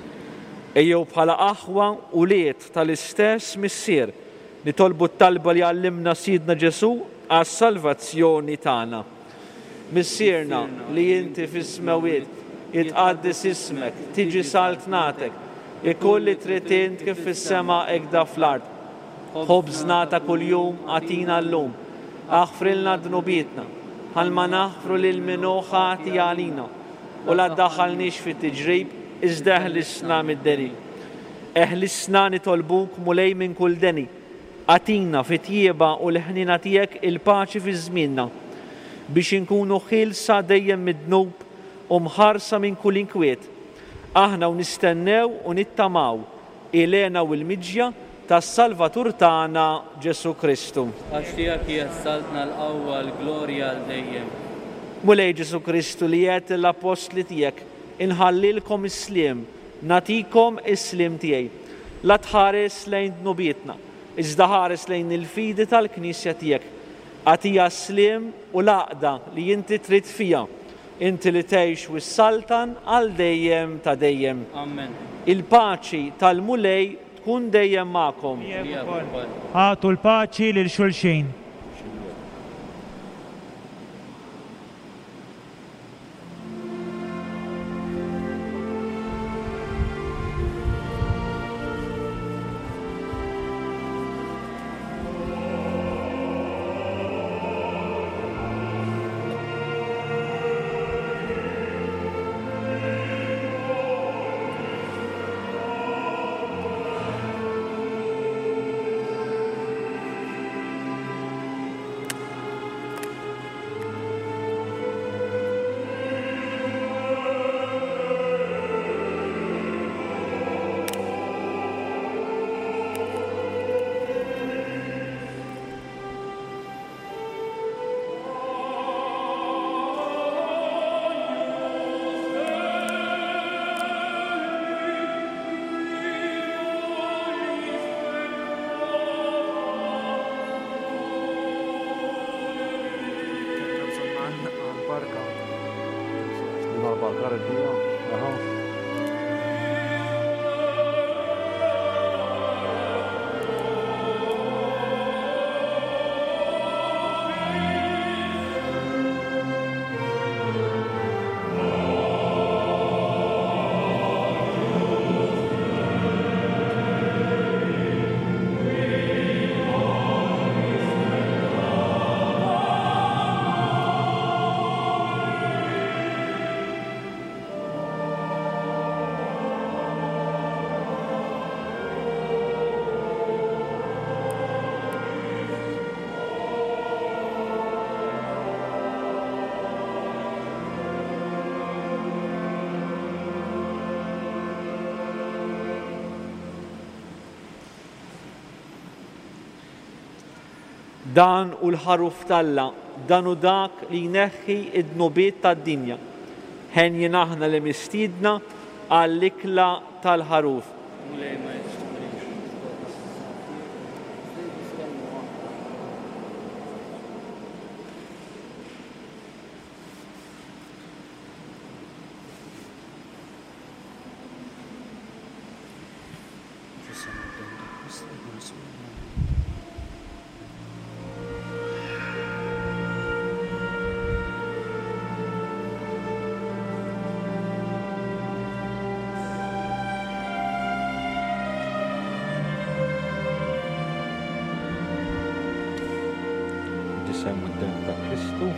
Ejjew bħala aħwa ulied tal-istess Missier, nitolbu t-talba li għallimna Sidna Ġesù għas-salvazzjoni tagħna. Missierna li inti fis-smewwiet, jitqaddes ismek, tiġi saltnatek, ikun li trid int kif fis-sema hekk fl-art. Ħobżna ta' kuljum agħtina llum. Aħfrilna dnubietna, bħalma naħfru lil min hu ħati għalina, u la ddaħħalniex fit-tiġrib, iżda eħlisna mid-deni. Eħlisna nitolbuk, Mulej, minn kull deni. Agħtina, fit-tjieba u l-ħniena tiegħek, il-paċi fi żmienna, biex inkunu ħielsa dejjem mid-dnub u mħarsa minn kull inkwiet, aħna u nistennew u nittamaw il-hena u l-miġja tas-Salvatur tagħna Ġesù Kristu. Għax tiegħek hija s-saltna, l-qawwa, l-glorja għal dejjem. Mulej Ġesù Kristu li għedt lill-appostli tiegħek, Inħallilkom is-sliem, Nagħtikom is-sliem tiegħi. La tħares lejn dnubietna, iżda ħares lejn il-fidi tal-Knisja tiegħek. Agħtiha s-sliem u l-għaqda li inti trid fiha, inti li tgħix u ssaltan għal dejjem ta' dejjem. Amen. Il-paċi tal-Mulej tkun dejjem magħkom. Miegħek ukoll. Agħtu l-paċi lil xulxin. Dan hu l-Ħaruf t'Alla, dan hu dak li jneħħi d-dnubiet tad-dinja. Henjin aħna li mistiedna għall-ikla tal-Ħaruf. Mulej ma jistħoqqlix li tidħol taħt is-saqaf tiegħi, iżda biss kelma waħda. Ġisem u d-demm ta' Kristu.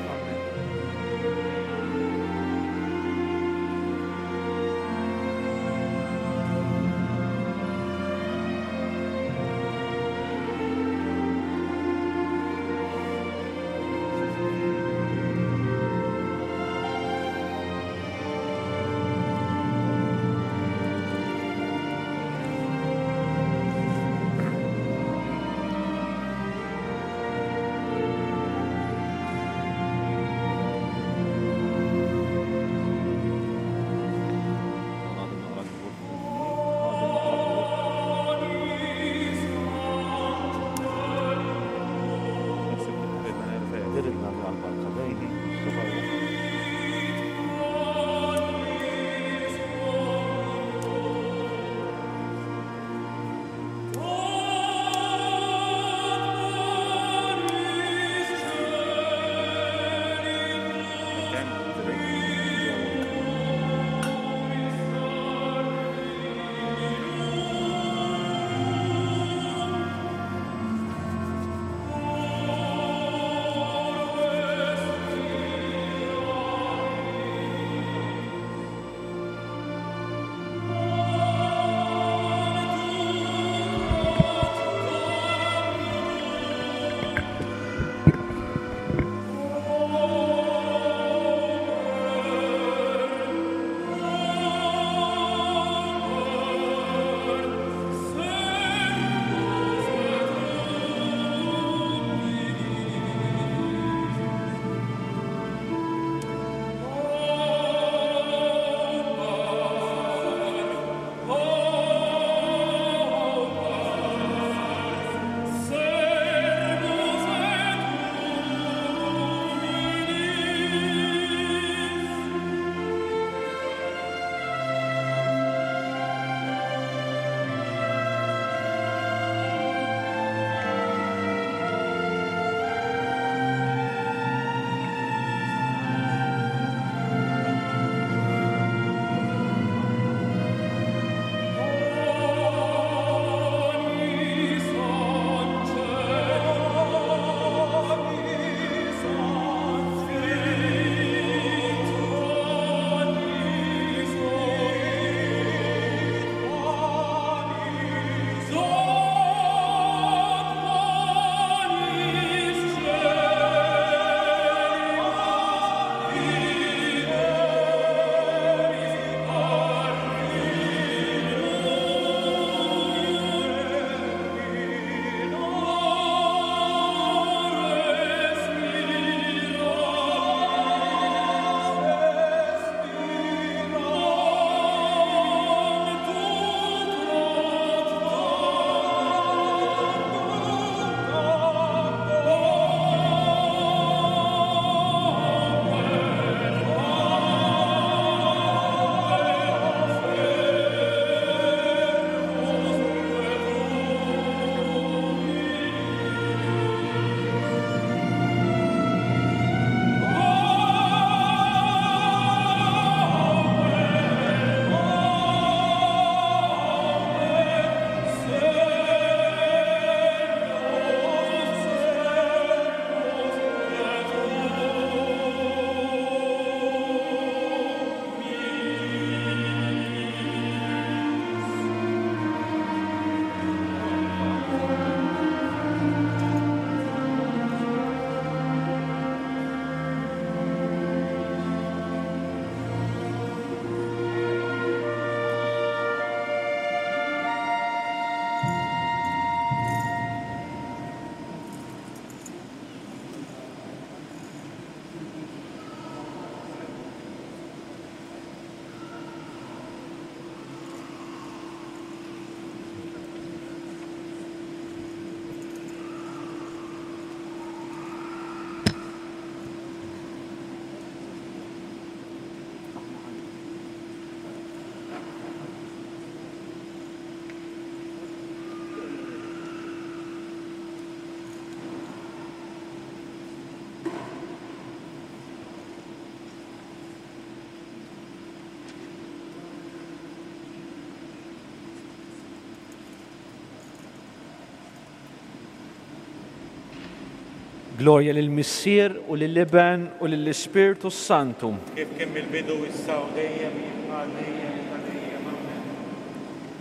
Glorja lill-Missier u lill-Iben u lill-Ispirtu s-Santu. Kif kien mill-bidu, issa u dejjem, jibqa' għal dejjem ta' dejjem. Amen.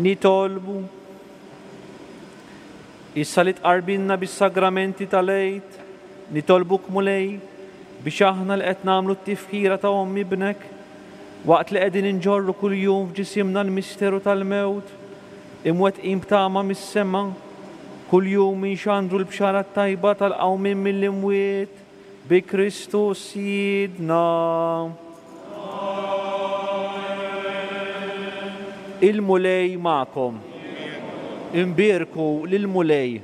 Nitolbu. Issa li tqarbinna bis-sagramenti tal-Għid, nitolbuk Mulej, biex aħna li qed nagħmlu t-tifkira ta' Omm Ibnek, waqt li qegħdin inġorru kuljum f'ġisimna l-misteru tal-mewt, imwettqin b'tama mis-sema, kuljum inxandru l-Bxara t-Tajba tal-qawmien mill-imwiet bi Kristu Sidna. Il-Mulej magħkom. Imbierku lill-Mulej.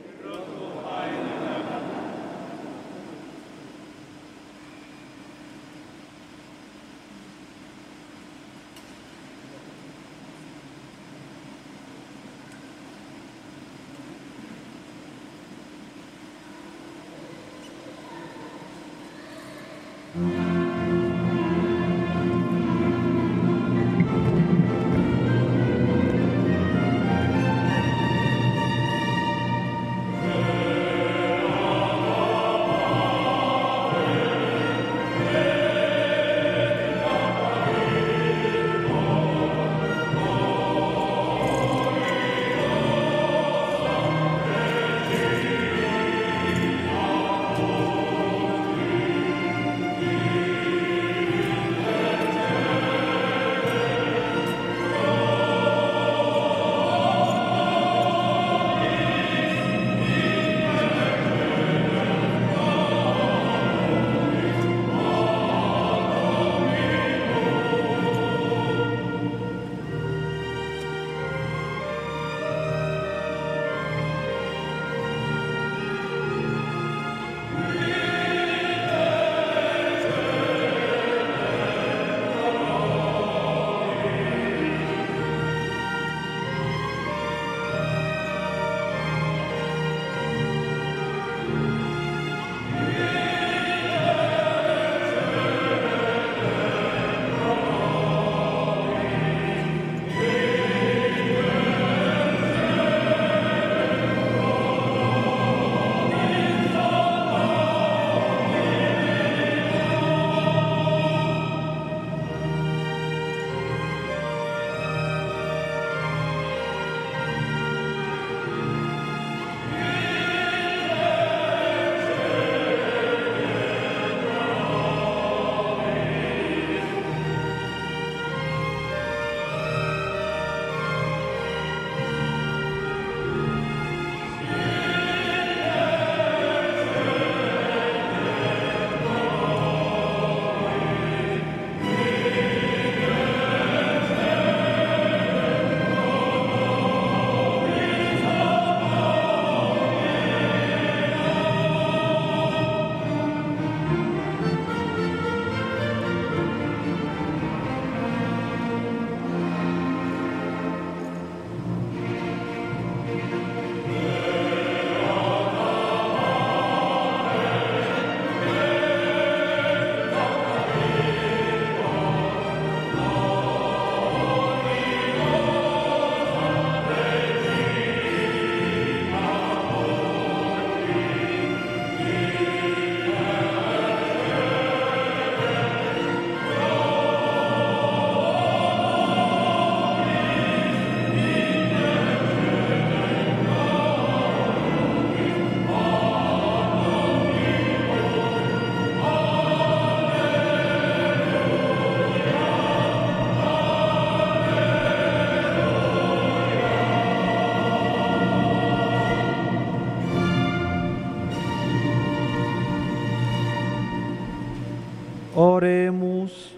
Oremus.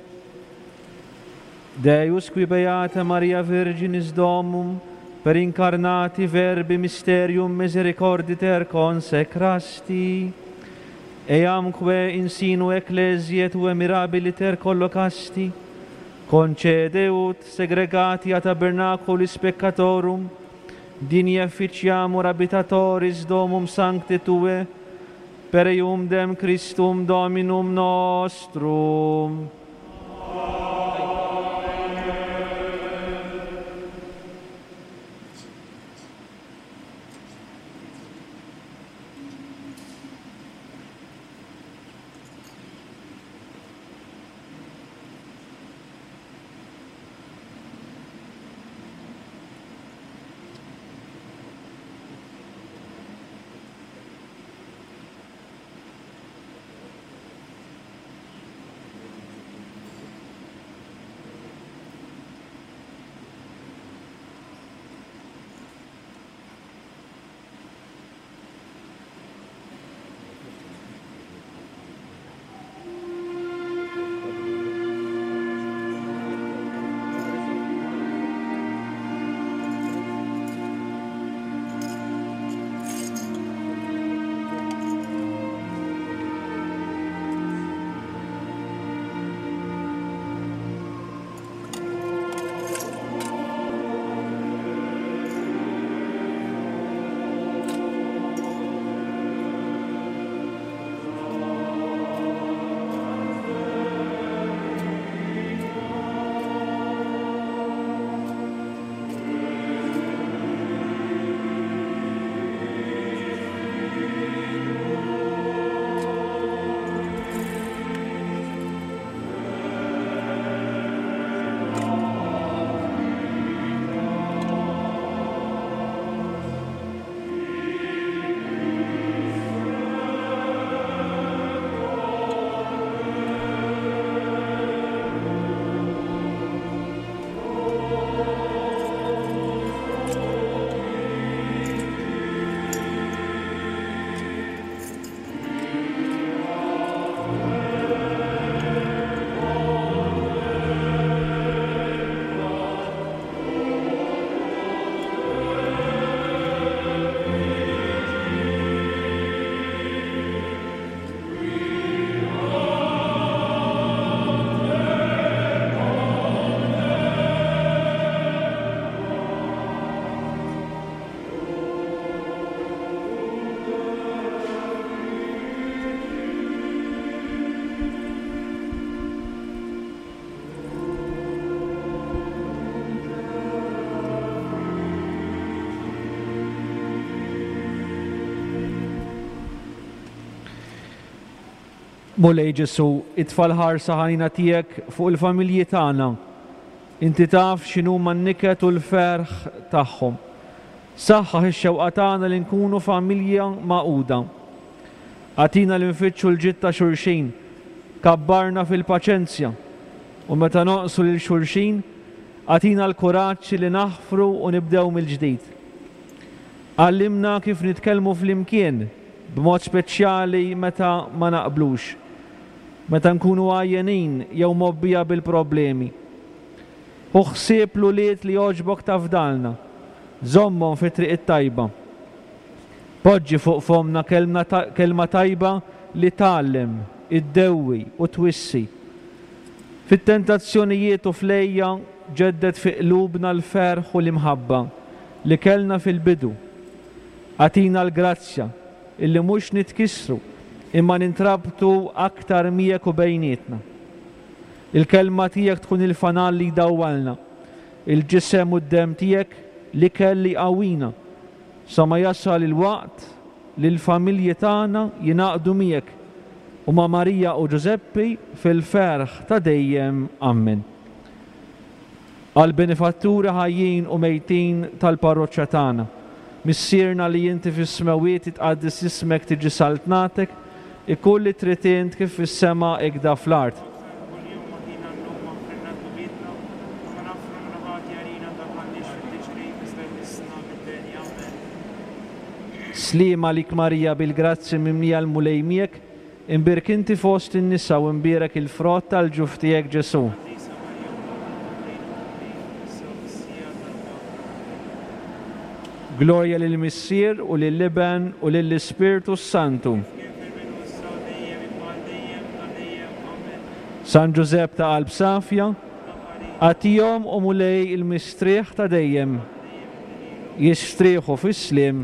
Deus qui beata Maria Virginis Domum per incarnati verbi mysterium misericorditer consecrasti, eamque in sinu ecclesiae tue mirabiliter collocasti, concede ut segregati a tabernaculis peccatorum, digni efficiamur habitatoris domum sancte tue, per eum dem Christum Dominum nostrum. Mulej Ġesù, itfa' l-ħarsa ħanina tiegħek fuq il-familji tagħna. Inti taf x'inhuma n-niket u l-ferħ tagħhom. Saħħaħ ix-xewqa tagħna li nkunu familja magħquda. Agħtina li nfittxu l-ġid ta' xulxin, kabbarna fil-paċenzja, u meta nonqsu lil xulxin, agħtina l-kuraġġ li naħfru u nibdew mill-ġdid. Għallimna kif nitkellmu flimkien, b'mod speċjali meta ma naqblux, meta nkunu għajjenin jew mgħobbija bil-problemi. Ħu ħsieb l-ulied li għoġbok tafdalna, żommhom fit-triq it-tajba. Poġġi fuq fommna kelma tajba li tgħallem, iddewwi u twissi. Fit-tentazzjonijiet u fl-għejja ġedded fi qlubna l-ferħ u l-imħabba li kellna fil-bidu. Agħtina l-grazzja illi mhux nitkissru imma nintrabtu aktar miegħek u bejnietna. Il-kelma tiegħek tkun il-fanal li jdawwalna, il-ġisem u d-demm tiegħek l-ikel li jqawwina, sa ma jasal il-waqt li l-familji tagħna jingħaqdu miegħek u ma' Marija u Ġużeppi fil-ferħ ta' dejjem. Ammen. Għall-benefatturi ħajjin u mejtin tal-parroċċa tagħna. Missierna li inti fis-smewwiet jitqaddes ismek tiġi saltnatek, ikun li trid int kif fis-sema ikda fl-art. Aħna kuljum agħtina llum aħfrilna dnubietna, kama naħfru minnu ħati għalina ndaħħalniex fit-tiġrib iżda eħlisna mid-deni. Ammen. Sliem għalik Marija bil-grazzja mimlija l-Mulej miegħek, Imbierek inti fost in-nisa u imbierek il-frott tal-ġuf tiegħek Ġesù. Qaddisa Marija Omm Alla Ħallejna l-Mulej, issa u fis-siegħa tal-mewt tagħna. Ammen. Glorja lill-Missier u lill-Iben u lill-Ispirtu s-Santu. Kif kien fil-bidu issa u dejjem imma għal dejjem ta' dejjem. Ammen. San Ġużepp ta' qalb safja, Itlob għalina. agħtihom o Mulej il-mistrieħ ta' dejjem. Dejjem idhrilhom. Jistrieħu fis-sliem.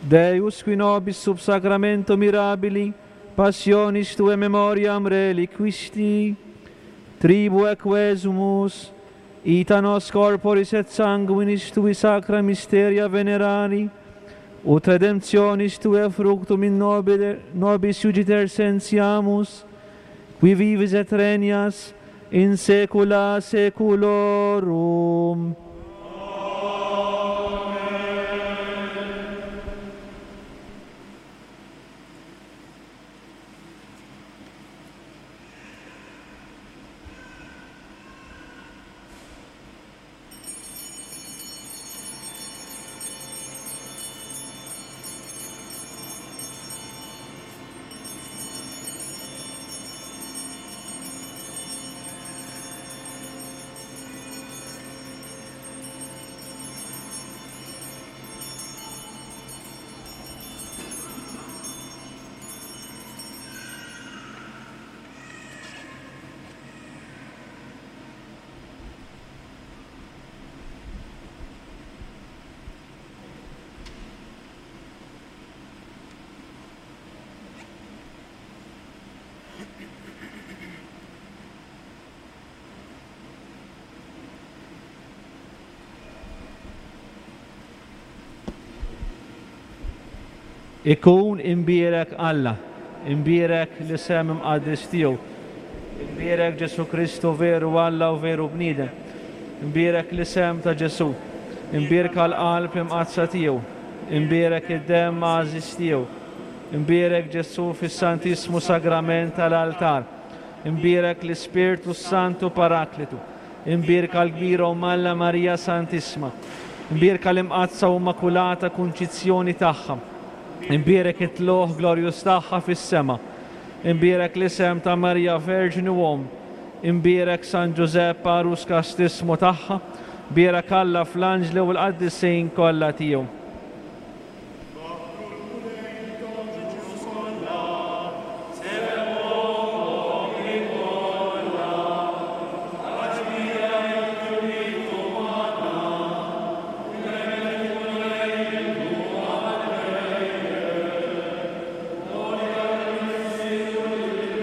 Deus qui nobis sub sacramento mirabili passionis tue memoriam reliquisti, tribu equesumus, ita nos corporis et sanguinis tui sacra mysteria venerari, ut redemptionis tue fructum in nobile, nobis iugiter sentiamus, qui vivis et regnas in saecula saeculorum. Ikun imbierek Alla, imbierek l-isem imqaddes tiegħu, imbierek Ġesù Kristu veru Alla u veru bniedem, imbierek l-isem ta' Ġesù, imbierka l-qalb imqaddsa tiegħu, imbierek id-demm għażiż tiegħu, imbierek Ġesù fis-Santissmu Sagrament tal-altar, imbierek l-Ispirtu s-Santu Paraklitu, Imbierka l-kbira Omm Alla Marija Santissma. Imbierka l-Imqaddsa u Immakulata Kunċizzjoni tagħha. Imbierek it-tlugħ glorjuż tagħha fis-sema. Imbierek l-isem ta' Marija Verġni u Omm. Imbierek San Ġużepp għarus kastissmu tagħha. Bierek Alla fl-anġli u l-qaddisin kollha tiegħu.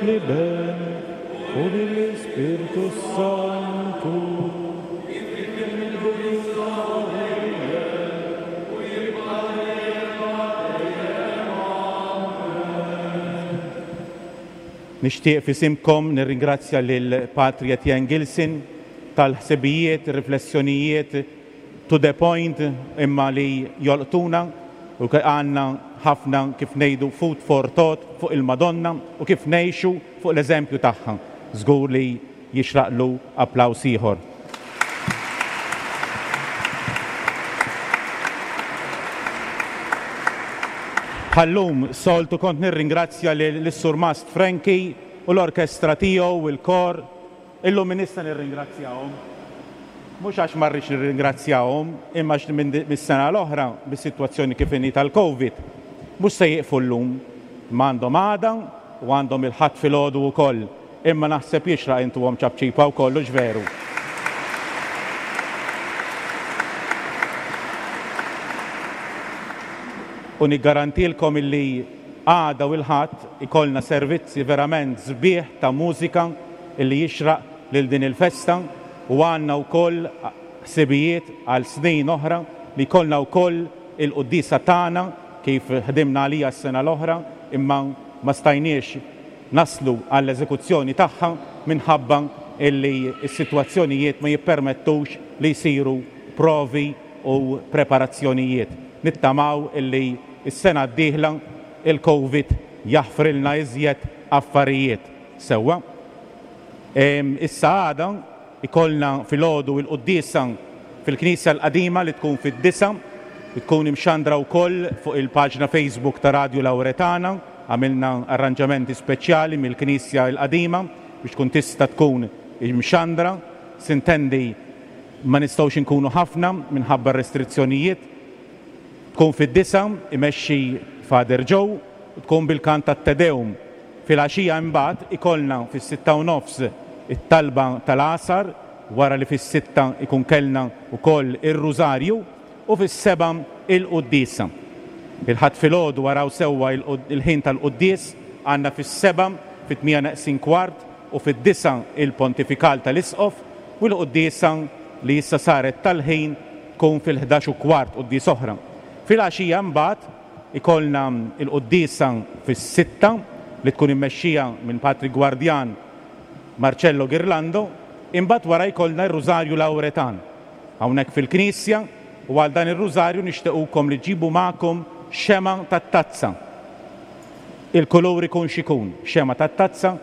L-Iben u lill-Ispirtu s-Santu. Nixtieq f'isimkom nirringrazzja lil Patri Etienne Gilson tal-ħsibijiet, riflessjonijiet to the point imma li jolqtuna u għandna ħafna kif ngħidu food for thought fuq il-Madonna u kif ngħixu fuq l-eżempju tagħha. Żgur li jixraqlu applaws ieħor. Bħal-lum soltu kont nirringrazzja lis-Surmast Frankie u l-orkestra tiegħu u l-kor. Illum m'iniex se nirringrazzjahom. Mhux għax ma rridx nirringrazzjahom, imma għax mis-sena l-oħra, bis-sitwazzjoni kif inhi tal-Covid, mhux se jieqfu llum. Imma għandhom għada u għandhom il-Ħadd filgħodu wkoll. Imma naħseb jixraq intuhom ċapċipa wkoll, hux veru? U niggarantilkom illi għada u l-Ħadd ikollna servizzi verament sbieħ ta' mużika illi jixraq lil din il-festa u għandna wkoll ħsibijiet għal snin oħra li jkollna wkoll il-quddiesa tagħna kif ħdimna għaliha s-sena l-oħra imma ma stajniex naslu għall-eżekuzzjoni tagħha minħabba li s-sitwazzjonijiet ma jippermettux li jsiru provi u preparazzjonijiet. Nittamaw li s-sena d-dieħla il-Covid jaħfrilna iżjed affarijiet. Sewwa. Issa għada Ikollna filgħodu il-quddiesa fil-Knisja l-Qadima li tkun fid-disgħa, tkun imxandra wkoll fuq il-paġna Facebook ta' Radju Lauretana. Għamilna arranġamenti speċjali mill-Knisja l-Qadima biex tkun tista' tkun imxandra. Sintendi ma nistgħux inkunu ħafna minħabba r-restrizzjonijiet. Tkun fid-disgħa, imexxi Father Joe, u tkun bil-kant tat-Te Deum. Filgħaxija imbagħad ikollna fis-sitta u nofs it-talba tal-għasar wara li fis-sitta jkun kellna wkoll ir-Rużarju u fis-sebgħa il-quddiesa. Il-Ħadd filgħodu araw sewwa il-ħin tal-quddies, għandna fis-sebgħa, fit-tmienja neqsin kwart u fid-disgħa il-pontifikal tal-Isqof u l-quddiesa li issa saret tal-ħin tkun fil-ħdax u kwart quddies oħra. Filgħaxija imbagħad ikollna l-quddiesa fis-sitta li tkun immexxija minn Patri Gwardjan Marcello Ghirlando, imbagħad wara jkollna r-Rużarju Lawretan hawnhekk fil-knisja u għal dan ir-Rużarju nixtequkom li ġġibu magħkom xemgħa tat-tazza. Il-kulur ikun x'ikun, xemgħa tat-tazza,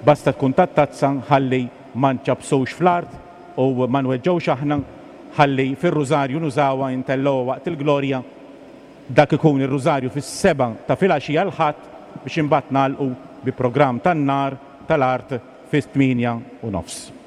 basta tkun tat-tazza ħalli ma nċappsux fl-art u ma nweġġgħux aħna, ħalli fir-Rużarju nużawha intellgħuha waqt il-Glorja. Dak ikun ir-Rużarju fis-sebgħa ta' filgħaxija l-Ħadd biex imbagħad nagħlqu bi programm tan-nar tal-art fis-tmienja u nofs.